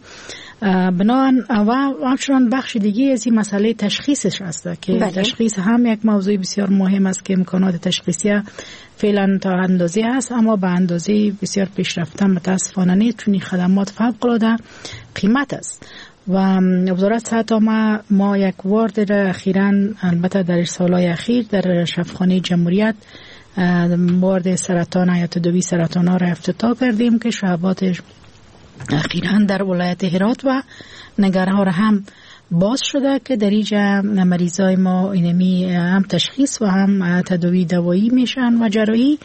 بنابراین و همچنان بخش دیگه از این مسئله تشخیصش است که بله. تشخیص هم یک موضوع بسیار مهم است که امکانات تشخیصی فعلا تا اندازه هست، اما به اندازه بسیار پیشرفته متاسفانه نیست، چون خدمات فوق العاده قیمت است. و وزارت صحت ما ما یک وارد را اخیراً البته در سالهای اخیر در شفاخانه جمهوریت وارد سرطان یا تداوی سرطان ها را افتتاح کردیم که شعباتش اخیراً در ولایت هرات و ننگرهار هم باز شده که در اینجا مریضای ما اینمی هم تشخیص و هم تداوی دوایی میشن و جراحی،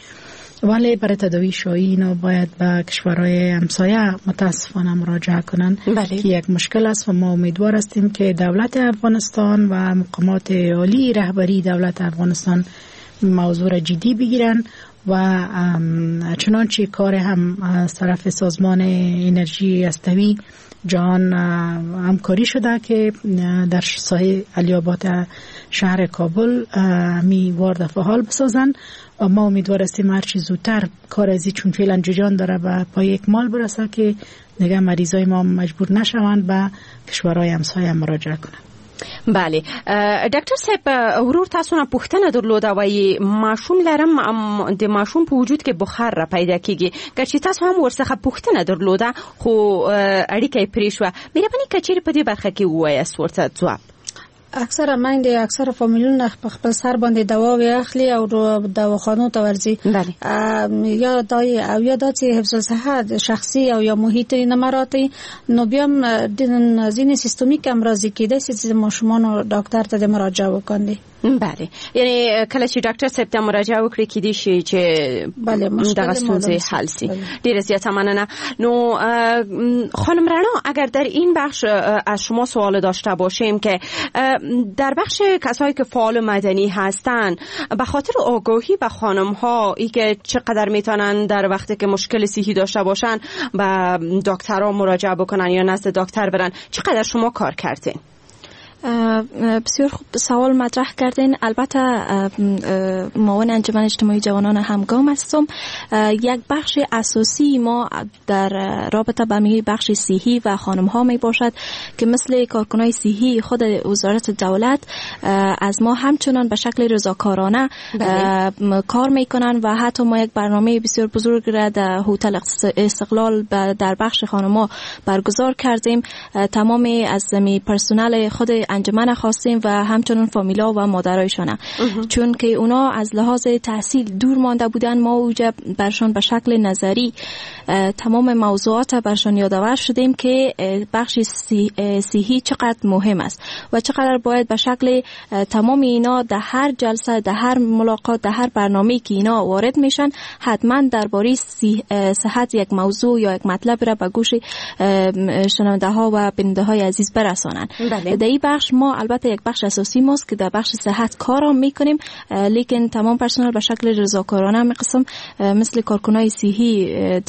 ولی برای تداوی شعاعی اینا باید به کشورهای همسایه متاسفانه مراجعه کنن. بله. که یک مشکل است و ما امیدوار هستیم که دولت افغانستان و مقامات عالی رهبری دولت افغانستان موضوع را جدی بگیرن و چنانچه کار هم از طرف سازمان انرژی هستوی جهان همکاری شده که در ساحه علی‌آباد شهر کابل می وارد فعال بسازن و ما امیدوار هستیم هرچی زودتر کار ازی چون فعلا جریان داره به پای اکمال برسه که دیگه مریضای ما مجبور نشوند به کشورهای همسایه مراجعه کنند. بله ډاکټر صاحب ورور تاسو نه پوښتنه درلوده، وایي ماشوم لرم، د ماشوم په وجود کې بخار را پیدا کیږي، که چې تاسو هم ورڅخه پوښتنه درلوده خو اړیکه یې پرې شوه، مهرباني که چیرې په دې برخه کې ووایاست ورته ځواب. اکثره میندې اکثره فامیلونه په خپل سر باندې دواوې اخلي او دواخانو ته ورځي، یا دا او یا دا چې حفظ الصحه شخصي او یا محیط نه مراعاتوي، نو بیا هم ځینې سیستمیک امراض کېدای شي چې ماشومانو ډاکټر ته د مراجعه وکړي. بله، یعنی کله چې ډاکټر صاحب ته مراجعه وکړي کېدای شي چې بله دغه ستونزې حل شي. ډیره زیاته مننه. نو خانم رنا، اگر در این بخش از شما سوال داشته باشیم که در بخش کسایی که فعال مدنی هستن به خاطر آگاهی به خانم ها ای که چقدر میتونن در وقتی که مشکل صحی داشته باشن به دکترها مراجعه بکنن یا نزد دکتر برن، چقدر شما کار کردین؟ بسیار خوب سوال مطرح کردین. البته معاون انجمن اجتماعی جوانان همگام هستم. یک بخش اساسی ما در رابطه با می بخش صحی و خانم ها می باشد که مثل کارکنای صحی خود وزارت دولت از ما همچنان به شکل رضاکارانه کار میکنن و حتی ما یک برنامه بسیار بزرگ را در هتل استقلال در بخش خانم ها برگزار کردیم. تمام از می پرسنل خود انجمن خواستیم و همچنان فامیلا و مادرایشان، چون که اونا از لحاظ تحصیل دور مانده بودن، ما اوجا برشان به شکل نظری تمام موضوعات برشان یادآور شدیم که بخش صحی چقدر مهم است و چقدر باید به شکل تمام اینا در هر جلسه، در هر ملاقات، در هر برنامه‌ای که اینا وارد میشن حتما درباره صحت یک موضوع یا یک مطلب را به گوش شنونده ها و بیننده های عزیز برسانن. بله. در این بخش بخش ما البته یک بخش اساسی ماست که در بخش صحت کار میکنیم، لیکن تمام پرسنل به شکل رضاکارانه می قسم مثل کارکنای صحی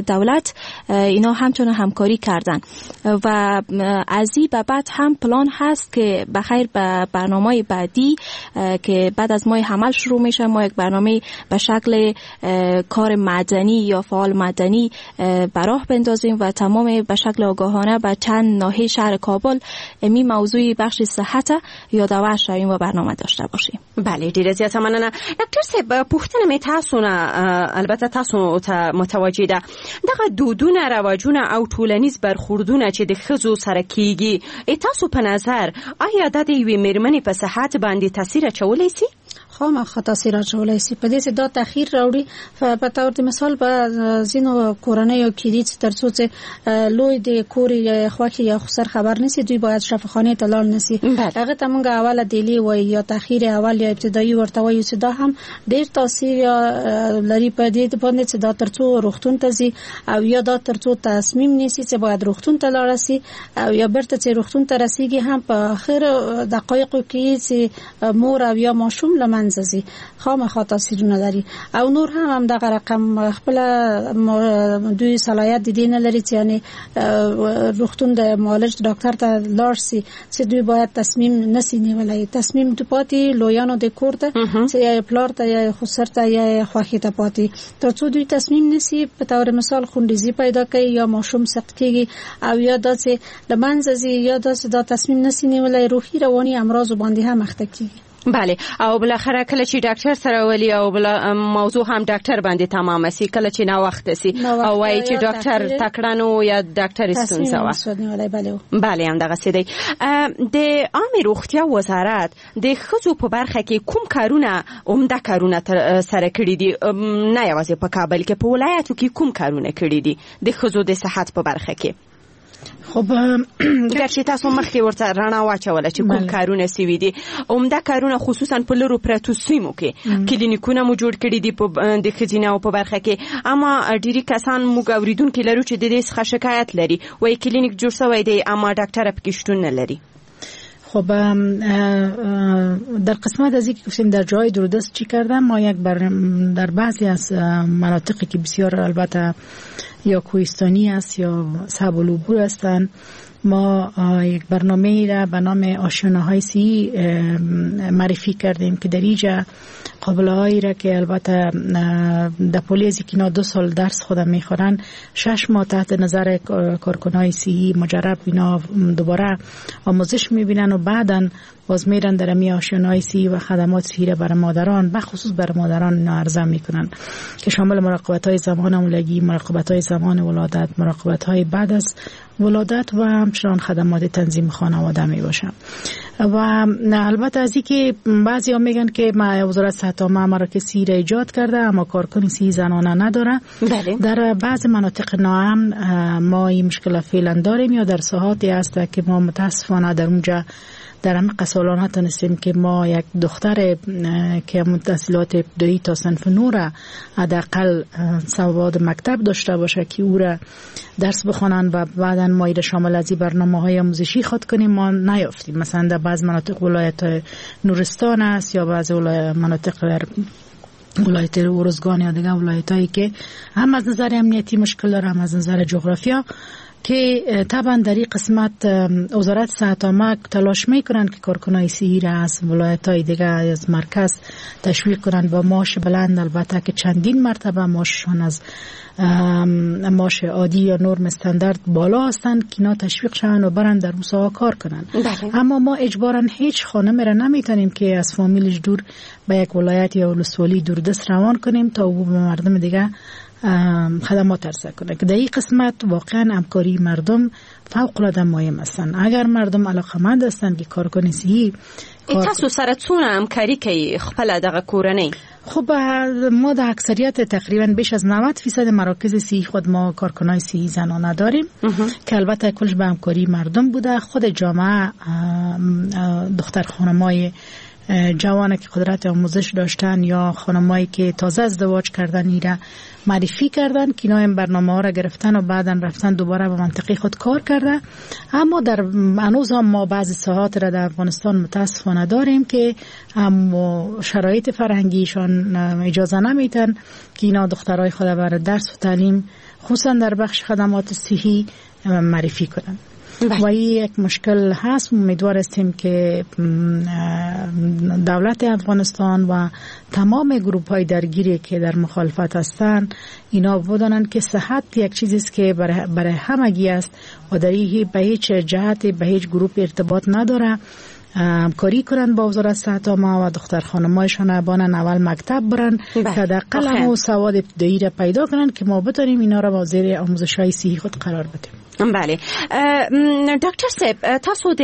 دولت اینا همچنان همکاری کردن و از این به بعد هم پلان هست که بخیر به برنامه بعدی که بعد از ماه حمل شروع میشه، ما یک برنامه به شکل کار مدنی یا فعال مدنی براه بندازیم و تمام به شکل آگاهانه به چند ناحیه شهر کابل می موضوع بخش صحت یادآور شویم و برنامه داشته باشیم. بله ډیره زیاته مننه ډاکټر صاحب. پوښتنه مې تاسو نه البته تاسو ته متوجه ده، دغه دودونه رواجونه او ټولنیز برخوردونه چې د ښځو سره کیږي، تاسو په نظر آیا دا د یوې میرمنې په صحت باندې تاثیر اچولی سي؟ خامخا تاثیر اچولی سي. په دې چې دا تاخیر راوړي. په تور د مثال په ځینو کورنیو کې دي چې ترڅو چې لوی د کور یا خوښي یا خسر خبر نسی، دوی باید شفاخانه ته لاړ نسی. هغه ته مونږ اوله دیلی وای یا تاخیر اول یا ابتدایي ورته وایو چې دا هم ډیر تاثیر لري په دې باندې چې دا ترڅو روغتون ته ځي او یا دا ترڅو تصمیم نیسي چې باید روغتون ته لاړ سي او یا بیرته چې روغتون ته رسیږي هم په اخر دقایقو کې چې مور او یا ماشوم له منځه ځي، خامخا تاثیرونه لري. او نور هم هم دغه رقم خپل دوی صلاحیت د دې نه لري چې یعنی روغتون د معالج ډاکټر ته لاړ سي چې دوی باید تصمیم نسی نیولای. تصمیم د پاتې لویانو د کور ته چې یا پلار ته یا خسر ته یا خوښې ته پاتې، ترڅو دوی تصمیم نسی. په تور مثال خونریزي پیدا کوي یا ماشوم سقط کیږي او یا داسې له منځه ځي یا داسې دا تصمیم نسی نیولای، روحي رواني امراض باندې هم اخته کیږي. بله او بالاخره کله چې ډاکټر سره ولي او بل موضوع هم ډاکټر باندې تمام سي، کله چې نا وخت سي او وایي چې ډاکټر تکړه نو یا ډاکټر ستونزه وه. بله هم دغه سي دی. د عامې روغتیا وزارت د ښځو په برخه کې کوم کارونه عمده کارونه تر سره کړي دي؟ نه یوازې په کابل کې، په ولایاتو کې کوم کارونه کړي دي د ښځو د صحت په برخه کې؟ خب ګرچې تاسو مخکې ورته رڼا واچوله چې کوم کارونه سوي دي، عمده کارونه خصوصا په لرو پرتو سیمو کې کلینیکونه مو جوړ کړي دي په د ښځینه په برخه کې، اما ډیری کسان موږ اوریدونکي لرو چې د دې څخه شکایت لري، وایي کلینیک جوړ سوی دی اما ډاکټر پکې شتون نه لري. خب در قسمت از اینکه گفتیم در جای دوردست چی کردم، ما یک بر در بعضی از مناطقی که بسیار البته یا کوهستانی است یا صعب العبور هستند، ما یک برنامه را به نام آشیانه های سی معرفی کردیم که در اینجا قابله هایی را که البته در پولی از که دو سال درس خودم میخورن، شش ماه تحت نظر کارکنای سی مجرب اینا دوباره آموزش میبینن و بعداً باز میرن در امی آشیانه های سی و خدمات سی را برای مادران، بخصوص برای مادران اینا عرضه میکنن که شامل مراقبت های زمان حاملگی، مراقبت های زمان ولادت، مراقبت های بعد از ولادت و همچنان خدمات تنظیم خانواده می باشن. و البته از اینکه بعضی ها میگن که ما وزارت صحت عامه مراکز سی را ایجاد کرده اما کارکن سی زنانه نداره. بله. در بعض مناطق ناامن ما این مشکل فعلا داریم یا در ساحاتی هست که ما متاسفانه در اونجا در همه قسالان نتونستیم که ما یک دختر که تحصیلات ابتدایی تا صنف نه را حداقل سواد مکتب داشته باشه که او را درس بخوانن و بعدا ما ایره شامل از این برنامه های آموزشی خود کنیم، ما نیافتیم. مثلا در بعض مناطق ولایت نورستان است یا بعض مناطق در ولایت ارزگان یا دیگر ولایت هایی که هم از نظر امنیتی مشکل داره هم از نظر جغرافیا، که طبعا در این قسمت وزارت صحت عامه تلاش میکنن که کارکنای صحی را از ولایت های دیگه از مرکز تشویق کنن با معاش بلند، البته که چندین مرتبه معاششان از معاش عادی یا نرم استاندارد بالا هستند که اینا تشویق شوند و برن در اون کار کنن. بله. اما ما اجبارا هیچ خانم را نمیتونیم که از فامیلش دور به یک ولایت یا ولسوالی دوردست روان کنیم تا او به مردم دیگه خدمات عرضه کنه که در این قسمت واقعا همکاری مردم فوق العاده مهم هستند. اگر مردم علاقمند هستند که کارکن صحی تاسو سره څونه همکاری کوي خپل دغه کورنۍ؟ خب ما در اکثریت تقریبا بیش از نود فیصد مراکز صحی خود ما کارکنای صحی زنانه داریم که البته کلش به همکاری مردم بوده. خود جامعه دختر خانمای جوان که قدرت آموزش داشتن یا خانمایی که تازه ازدواج کردن ایره معرفی کردن که اینا این برنامه ها را گرفتن و بعدا رفتن دوباره به منطقه خود کار کرده. اما در هنوز هم ما بعضی ساحات را در افغانستان متاسفانه داریم که هم شرایط فرهنگیشان اجازه نمیتن که اینا دخترای خود برای درس و تعلیم خصوصا در بخش خدمات صحی معرفی کنند. و این یک مشکل هست. امیدوار هستیم که دولت افغانستان و تمام گروپ های درگیری که در مخالفت هستند اینا بدانند که صحت یک چیزی است که برای, برای همگی است و در این به هیچ جهت به هیچ گروپ ارتباط نداره. همکاری کنند با وزارت صحت عامه و دختر خانمایشان بانن اول مکتب برن که حداقل هم سواد ابتدایی را پیدا کنند که ما بتونیم اینا را با زیر آموزش های صحی خود قرار بدیم. بله ډاکټر صاحب، تاسو د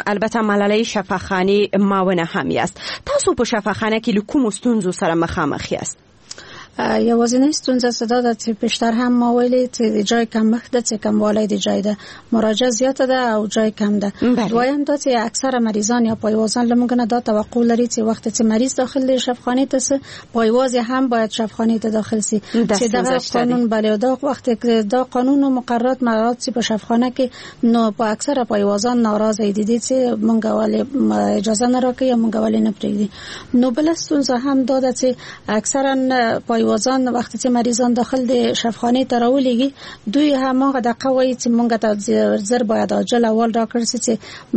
البته ملالۍ شفاخانې معاونه هم یاست. تاسو په شفاخانه کې له کومو ستونزو سره مخامخ یاست؟ یوازینۍ ستونزه څه دا ده چې پیشتر هم ما ویلي چې د جای کمښت ده، چې کموالی د جای ده، مراجعه زیاته ده او جای کم ده. دویم دا چې اکثره مریضان یا پایوازان له موږ نه دا توقع لري چې وخت چې مریض داخل دی شفاخانې ته سي، پایواز هم باید شفاخانې ته داخل سي، چې دغه قانون بله دا وخت دا قانون و مقررات مراعات سي په شفاخانه کې، نو په اکثره پایوازان ناراضه دي دي چې موږ ولې اجازه نه راکوي یا موږ ولې نه پرېږدي. نو بله ستونزه هم دا ده چې اکثرا پایوازان وقتی چې مریضان داخل د شفاخانې ته راولېږي، دوی هماغه دقه وایي چې مونږ ته زر باید عاجل اول راکړ سي چې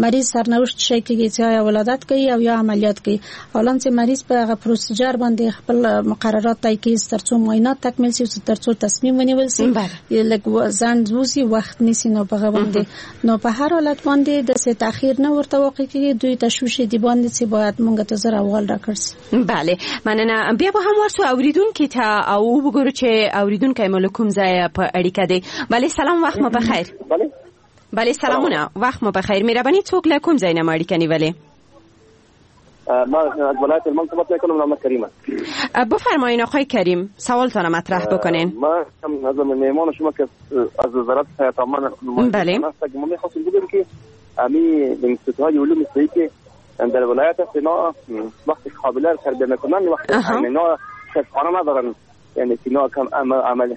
مریض سرنوشت شي کېږي چې آیا ولادت کوي او یا عملیات کوي. حالان چې مریض په هغه پروسیجر باندې خپل مقررات طی کوي ترڅو معاینات تکمیل سي، ترڅو تصمیم ونیول سي، لږ ځنډ وسي، وخت نیسي. نو په هغه باندې نو په هر حالت باندې د څه تاخير نه ورته واقع کېږي، دوی تشویش دي باندې چې باید مونږ ته زر اول راکړ سي. بله مننه. بیا به هم ورسو اوریدونکو ته او وګورو چې اوریدونکی مو له کوم ځایه په اړیکه دی. بله سلام، وخت مو بخیر. بله بله سلامونه، وخت مو بخیر. مهرباني څوک له کوم ځای نه مو اړیکه نیولې؟ ما از ولایت هلمند صحبت میکنم، نام کریم است. بفرمایین آقای کریم، سوالتان مطرح بکنین. ما از مهمان شما که از وزارت صحت عامه بله ما میخواستیم بگیم که امی انستیتوت های علوم صحی که در ولایت است اینا وقتی قابله را تربیه میکنن وقتی اینا شفاخانه ندارن، یعنی اینا کم عمل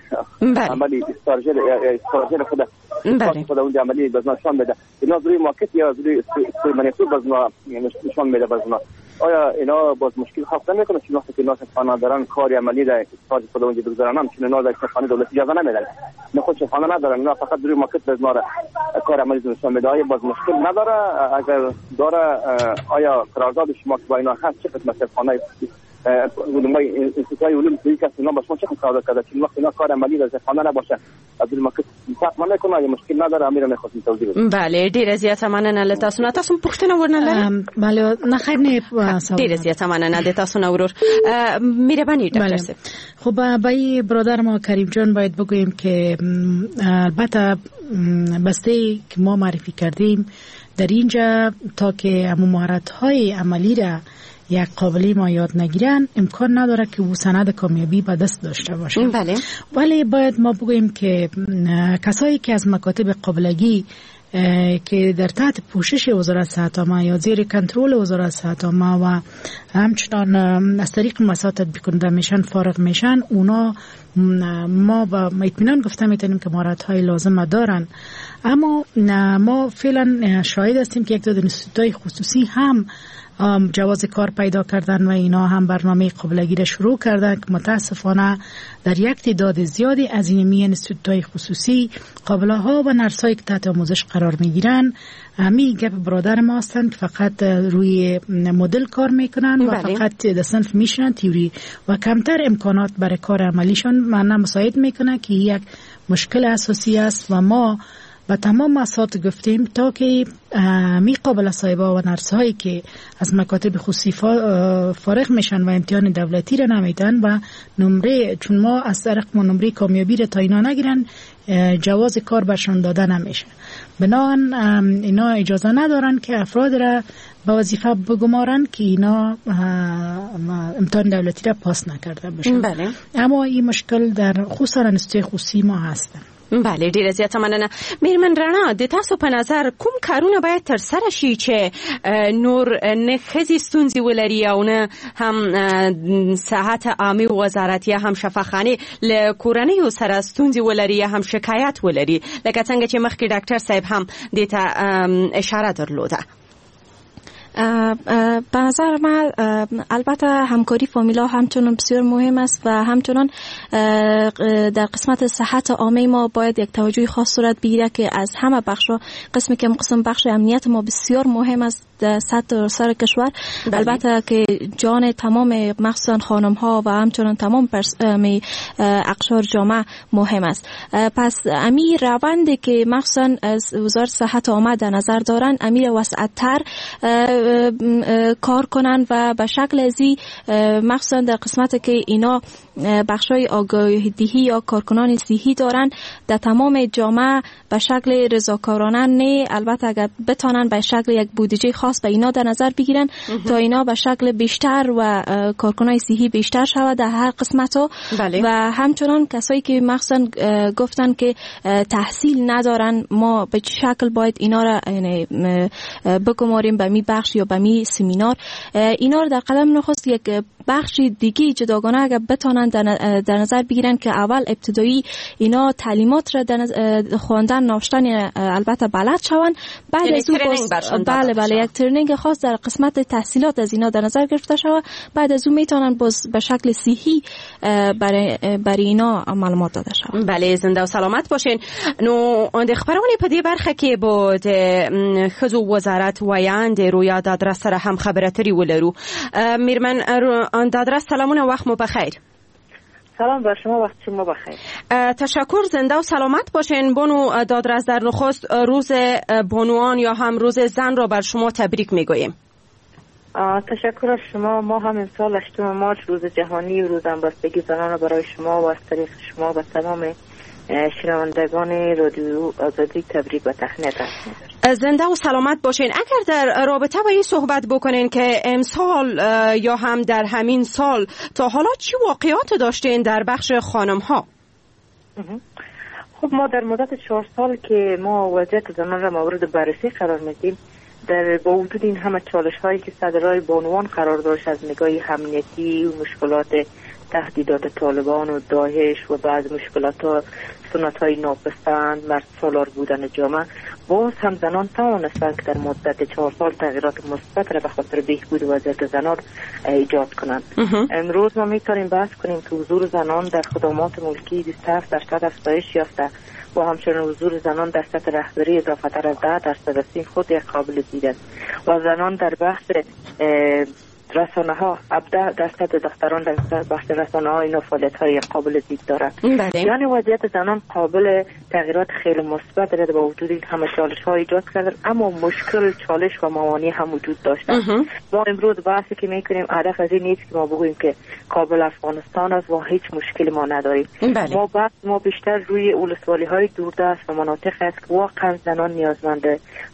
عملی استارژر استارژر خود خود اونجا عملی باز نشان میده، اینا روی ماکت یا روی منیتور باز نشان میده باز. آیا اینا باز مشکل خلق نمیکنه چون وقتی که اینا شفاخانه ندارن کاری عملی در استارژ خود اونجا بگذارن، چون اینا در شفاخانه دولت اجازه نمیدن، نه خود شفاخانه ندارن، اینا فقط روی ماکت باز کار عملی نشان میده. آیا باز مشکل نداره؟ اگر داره آیا قرارداد شما با اینا هست چه قسمت شفاخانه علمای انستیتوت علوم صحی که اینا با شما چه قرارداد کرده چون وقتی اینا کار عملی در شفاخانه نباشه از المکت فرق نمیکنه، یا مشکل نداره؟ امیر میخواستم توضیح بدم. بله ډیره زیاته مننه له تاسو نه. تاسو پوښتنه ورنه لرئ؟ بله نه خیر نه، ډیره زیاته مننه د تاسو نه ورور. مهرباني ډاکټر صاحب. خب با برادر ما کریم جان باید بگوییم که البته بسته که ما معرفی کردیم در اینجا تا که همون مهارت‌های عملی را یک قابلی ما یاد نگیرن امکان نداره که او سند کامیابی به دست داشته باشه. بله. ولی باید ما بگوییم که کسایی که از مکاتب قابلگی که در تحت پوشش وزارت صحت عامه یا زیر کنترل وزارت صحت عامه و همچنان از طریق مؤسسات تطبیق کننده میشن فارغ میشن، اونا ما با اطمینان گفته میتونیم که مهارت‌های لازم دارن. اما ما فعلا شاهد هستیم که یک تعداد انستیتوت‌های خصوصی هم جواز کار پیدا کردن و اینا هم برنامه قابلگی را شروع کردن که متاسفانه در یک تعداد زیادی از این انستیتوت‌های خصوصی قابله ها و نرس‌هایی که تحت آموزش قرار میگیرن همی گپ برادر ما هستند که فقط روی مدل کار میکنن و فقط در صنف میشنن تئوری و کمتر امکانات برای کار عملیشون معنا مساعد میکنه که یک مشکل اساسی است. و ما با تمام مؤسسات گفتیم تا که می قابل صاحبا و نرس هایی که از مکاتب خصوصی فارغ میشن و امتحان دولتی را نمیدن و نمره، چون ما از طریق ما نمره کامیابی را تا اینا نگیرن جواز کار برشان داده نمیشه، بنابراین اینا اجازه ندارن که افراد را به وظیفه بگمارن که اینا امتحان دولتی را پاس نکرده باشن. بله. اما این مشکل در خصوصا انستیتوت خصوصی ما هستن. بله، ډیره زیاته مننه. میرمن رڼا، د تاسو په نظر کوم کارونه باید ترسره شي چې نور نه ښځې ستونزې ولري او نه هم صحت عامې وزارت یا هم شفاخانې له کورنیو سره ستونزې ولري یا هم شکایت ولري، لکه څنګه چې مخکې ډاکټر صاحب هم دې ته اشاره درلوده؟ به نظر من البته همکاری فامیلا همچنان بسیار مهم است و همچنان در قسمت صحت عامه ما باید یک توجه خاص صورت بگیره که از همه بخش‌ها، قسمی که قسم بخش امنیت ما بسیار مهم است در سطح سر کشور. بله. البته که جان تمام مخصوصا خانم ها و همچنان تمام پرس... اقشار جامعه مهم است. پس امی روند که مخصوصا از وزارت صحت عامه در نظر دارن، امی وسعت‌تر کار کنن و به شکل ازی مخصوصا در قسمت که اینا بخشای آگاهی دهی یا کارکنان صحی دارن در تمام جامعه به شکل رضاکارانه نه، البته اگر بتانن به شکل یک بودجه خاص به اینا در نظر بگیرن تا اینا به شکل بیشتر و کارکنان صحی بیشتر شود در هر قسمت ها. بله. و همچنان کسایی که مخصوصا گفتن که تحصیل ندارن، ما به چه شکل باید اینا را بگماریم به می بخش یا به می سمینار، اینا را در قدم نخست یک بخش دیگه جداگانه اگر بتانن در نظر بگیرن که اول ابتدایی اینا تعلیمات را در خواندن نوشتن البته بلد شوند، بعد از او بله بله یک training خاص در قسمت تحصیلات از اینا در نظر گرفته شود، بعد از او میتونن باز به شکل صحی برای برای اینا معلومات داده شود. بله، زنده و سلامت باشین. نو د خبرونې په دې برخه کې به د ښځو وزارت ویاند رویا دادرس سره هم خبرې اترې ولرو. میرمن دادرس، سلامونه، وخت مو بخیر. سلام بر شما، وقت شما بخیر. تشکر، زنده و سلامت باشین. بانو دادرس، در نخست روز بانوان یا هم روز زن را بر شما تبریک میگوییم. تشکر از شما. ما هم امسال هشتم مارس روز جهانی و روز همبستگی زنان را برای شما و از طریق شما و تمام شنوندگان رادیو آزادی تبریک و تهنیت عرض. زنده و سلامت باشین. اگر در رابطه با این صحبت بکنین که امسال یا هم در همین سال تا حالا چی واقعات داشتین در بخش خانم ها؟ خب ما در مدت چهار سال که ما وضعیت زنان را مورد بررسی قرار میدیم، در با وجود این همه چالش هایی که سر راه بانوان قرار داشت از نگاه امنیتی و مشکلات تهدیدات طالبان و داعش و بعض مشکلات ها، سنت های ناپسند، مرد سالار بودن جامعه، باز هم زنان توانستند که در مدت چهار سال تغییرات مثبت را به خاطر بهبود وضعیت زنان ایجاد کنند. امروز ما میتونیم بحث کنیم که حضور زنان در خدمات ملکی بیست و هفت درصد افزایش یافته و همچنین حضور زنان در سطح رهبری اضافه تر از ده درصد است. این خود یک قابل دید است. و زنان در بحث رسانه ها هفده درصد دختران در بخش رسانه ها اینا فعالیت های قابل دید دارند. یعنی وضعیت زنان قابل تغییرات خیلی مثبت دارد با وجود این همه چالش ها ایجاد کردن، اما مشکل چالش و موانع هم وجود داشتن. ما امروز بحثی که میکنیم هدف از این نیست که ما بگوییم که کابل افغانستان است و هیچ مشکلی ما نداریم. بله. ما بحث ما بیشتر روی ولسوالی های دوردست و مناطق است که واقعا زنان نیازمند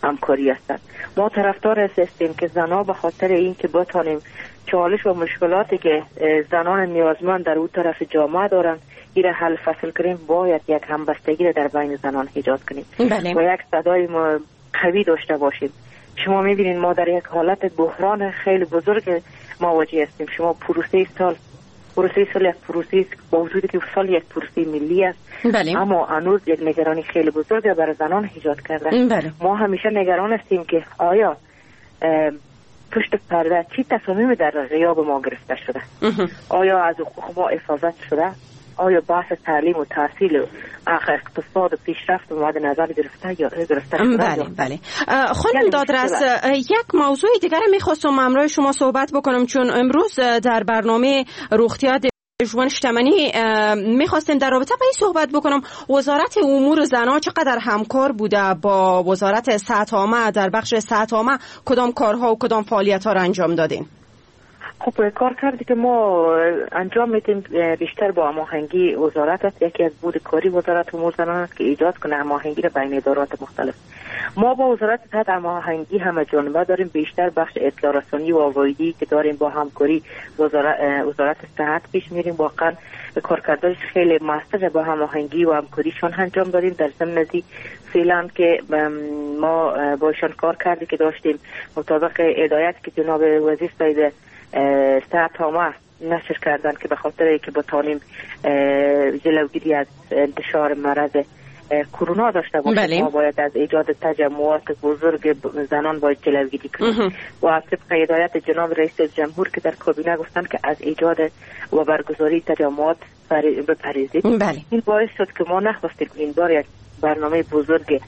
همکاری هستند. ما طرفدار هستیم که زنان به خاطر اینکه بتانیم چالش و مشکلاتی که زنان نیازمند در اون طرف جامعه دارن این را حل فصل کنیم، باید یک همبستگی را در بین زنان ایجاد کنیم. بله. و یک صدای قوی داشته باشیم. شما میبینید ما در یک حالت بحران خیلی بزرگ مواجه هستیم. شما پروسه سال پروسه سال یک پروسه است، با وجودی که سال یک پروسه ملی است. بله. اما هنوز یک نگرانی خیلی بزرگ برای زنان ایجاد کرده. بله. ما همیشه نگران هستیم که آیا پشت پرده چی تصمیمی در غیاب ما گرفته شده، آیا از حقوق ما حفاظت شده، آیا بحث تعلیم و تحصیل و اقتصاد و پیشرفت مد نظر گرفته یا گرفته شده؟ بله بله. خانم دادرس، یک موضوع دیگر میخواستم همراه شما صحبت بکنم، چون امروز در برنامه روغتیا ژوند شتمنی میخواستیم در رابطه با این صحبت بکنم. وزارت امور زنان چقدر همکار بوده با وزارت صحت عامه در بخش صحت عامه؟ کدام کارها و کدام فعالیت ها را انجام دادین؟ خب کار کردی که ما انجام میدیم بیشتر با هماهنگی وزارت است. یکی از بود کاری وزارت امور زنان است که ایجاد کنه هماهنگی را بین ادارات مختلف. ما با وزارت صحت هماهنگی همه جانبه داریم، بیشتر بخش اطلاع رسانی و آگاهی که داریم با همکاری وزارت وزارت صحت پیش میریم. واقعا کارکردش خیلی موثر با هماهنگی و همکاریشان انجام دادیم. در ضمن فعلا که ما باشان کار کردی که داشتیم مطابق هدایت که جناب وزیر سید صحت عامه نشر کردن که به خاطر اینکه بتانیم جلوگیری از انتشار مرض کرونا داشته باشیم، بله. ما باید از ایجاد تجمعات بزرگ زنان باید جلوگیری کنیم و طبق هدایت جناب رئیس جمهور که در کابینه گفتن که از ایجاد و برگزاری تجمعات بپرهیزید، بله. این باعث شد که ما نخواستیم این بار یک برنامه بزرگ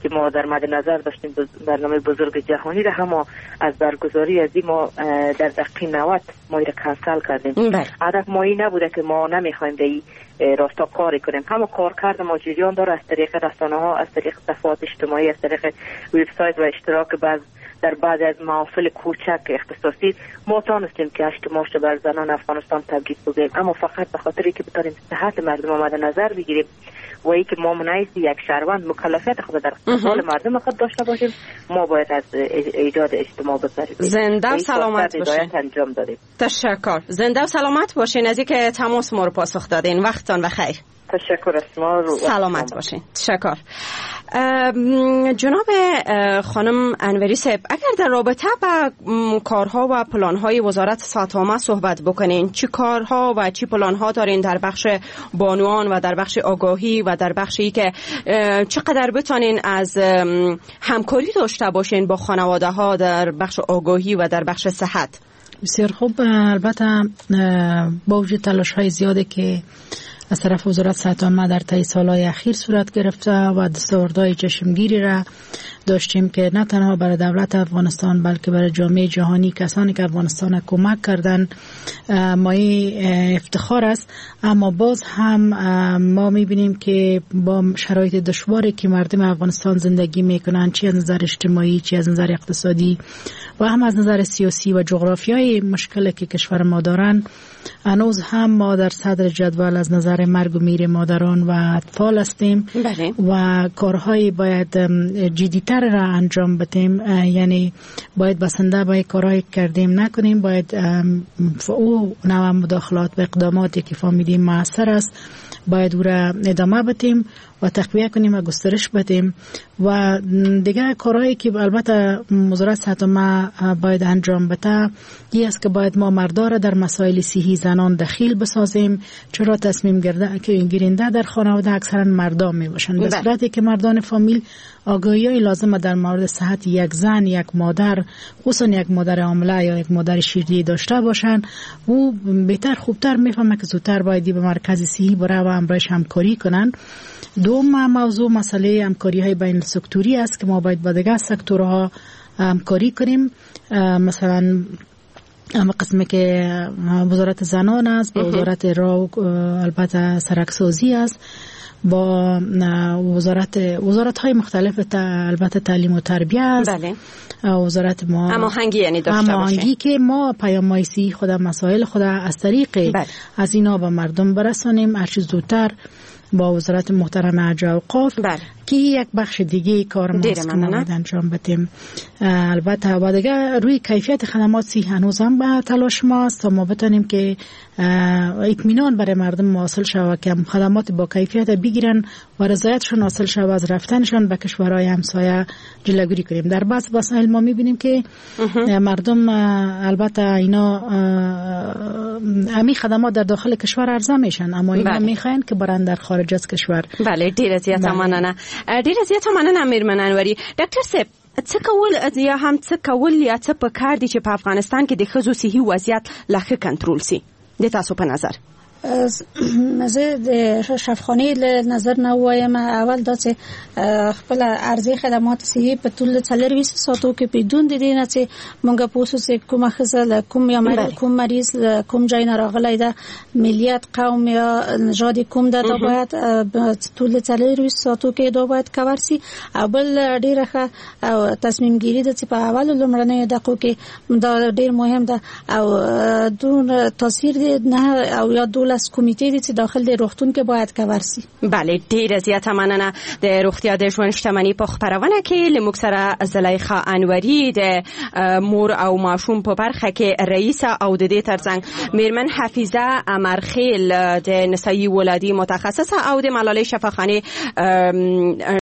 که ما در مد نظر داشتیم، برنامه بزرگ جهانی را هم از برگزاری از این ما در دقیقه نود ما را کنسل کردیم. هدف ما این نبوده که ما نمیخوایم در این راستا کاری کنیم. همه کار کرد ما جریان داره از طریق رسانه ها، از طریق صفحات اجتماعی، از طریق وبسایت و اشتراک بعض در بعضی از محافل کوچک اختصاصی ما تانستیم که هشت ماه بر زنان افغانستان تبریک بگوییم، اما فقط به خاطر که بتانیم صحت مردم آمده نظر بگیریم و ای که ما منعیز یک شهروند مکلفیت خود در قبال مردم خود داشته باشیم، ما باید از ایجاد اجتماع بپرهیزیم. زنده و سلامت باشین. انجام دادیم. تشکر. زنده و سلامت باشین از اینکه تماس ما رو پاسخ دادین. وقتتان بخیر. تشکر از شما. سلامت باشین. تشکر. جناب خانم انوری صاحب، اگر در رابطه با کارها و پلانهای وزارت صحت عامه صحبت بکنین، چی کارها و چی پلانها دارین در بخش بانوان و در بخش آگاهی و در بخشی که چقدر بتانین از همکاری داشته باشین با خانواده ها در بخش آگاهی و در بخش صحت؟ بسیار خوب. البته با وجود تلاش های زیادی که از طرف وزارت صحت عامه در طی سالهای اخیر صورت گرفته و دستاوردهای چشمگیری را داشتیم که نه تنها برای دولت افغانستان بلکه برای جامعه جهانی، کسانی که افغانستان کمک کردن، مایه افتخار است. اما باز هم ما می‌بینیم که با شرایط دشواری که مردم افغانستان زندگی میکنند، چی از نظر اجتماعی، چی از نظر اقتصادی و هم از نظر سیاسی و جغرافیایی مشکلی که کشور ما دارن، هنوز هم ما در صدر جدول از نظر مرگ و میر مادران و اطفال هستیم. بله. و کارهای باید جدی‌تر را انجام بدیم، یعنی باید بسنده با کارهایی کردیم نکنیم، باید او نوع مداخلات و اقداماتی که فهمیدیم موثر است باید او را ادامه بدیم و تقویه کنیم و گسترش بدیم. و دیگه کارهایی که البته وزارت صحت عامه باید انجام بده این است که باید ما مردا را در مسائل صحی زنان دخیل بسازیم. چرا تصمیم گیرنده در خانواده اکثرا مردان می باشند. به صورتی که مردان فامیل آگاهی لازم در مورد صحت یک زن، یک مادر، خصوصا یک مادر حامله یا یک مادر شیردهی داشته باشند، او بهتر خوبتر میفهمه که زودتر باید به مرکز صحی بره و همراهش همکاری کنند. دوم موضوع مسئله همکاری های بین سکتوری است که ما باید با دیگر سکتورها همکاری کنیم. مثلا اما قسمی که وزارت زنان است، با وزارت راه البته سرکسازی است، با وزارت وزارت های مختلف البته تعلیم و تربیه است. بله. وزارت ما هماهنگی یعنی داشته هماهنگی که ما پیام های خود مسائل خود از طریق بله. از اینا به مردم برسانیم هر چیز زودتر با وزارت محترم حج و اوقاف. بله. که یک بخش دیگه کار ماست که ما باید انجام بدیم. البته و دیگه روی کیفیت خدمات سی هنوز هم به تلاش ماست تا ما بتونیم که اطمینان برای مردم حاصل شود که خدمات با کیفیت بگیرن و رضایتشون حاصل شود، از رفتنشون به کشورهای همسایه جلوگیری کنیم. در بعض مسائل ما میبینیم که مردم البته اینا امی خدمات در داخل کشور عرضه میشن، اما اینا میخواین که برن در خارج از کشور. بله، ډیره زیاته مننه. ډیره زیاته مننه میرمن انوري. ډاکټر صاحب، څه کول یا هم څه کول یا څه پکار دي چې په افغانستان کې د ښځو صحي وضعیت لا ښه کنټرول سي د تاسو په نظر؟ زه د شفاخانې له نظر نه وایم، اول دا چې خپل ارزي خدمات صحي په ټول څلورویشت ساعتو کې بدون د دې نه چې مونږ پوه شو چې کومه ښځه له کوم یا کوم مریض له کوم ځای نه راغلی ده، ملیت، قوم یا نژاد کوم ده، دا باید ټول څلورویشت ساعتو کې دا باید کور سي. او بل ډیره ښه او تصمیم ګیري ده چې په اولو لومړنیو دقیقو کې دا ډیر مهم ده، او دون تاثیر دی نه او یا دولس کمیته دي چې داخل د روغتون کې باید کور سي. بله، ډیره زیاته مننه. د روغتیا د ژوند شتمني په خپرونه کې له موږ سره زلیخا انوري د مور او ماشوم په برخه کې رئیسه او د دې ترڅنګ میرمن حفیظه امرخیل د نسایي ولادي متخصصه او د ملالۍ شفاخانې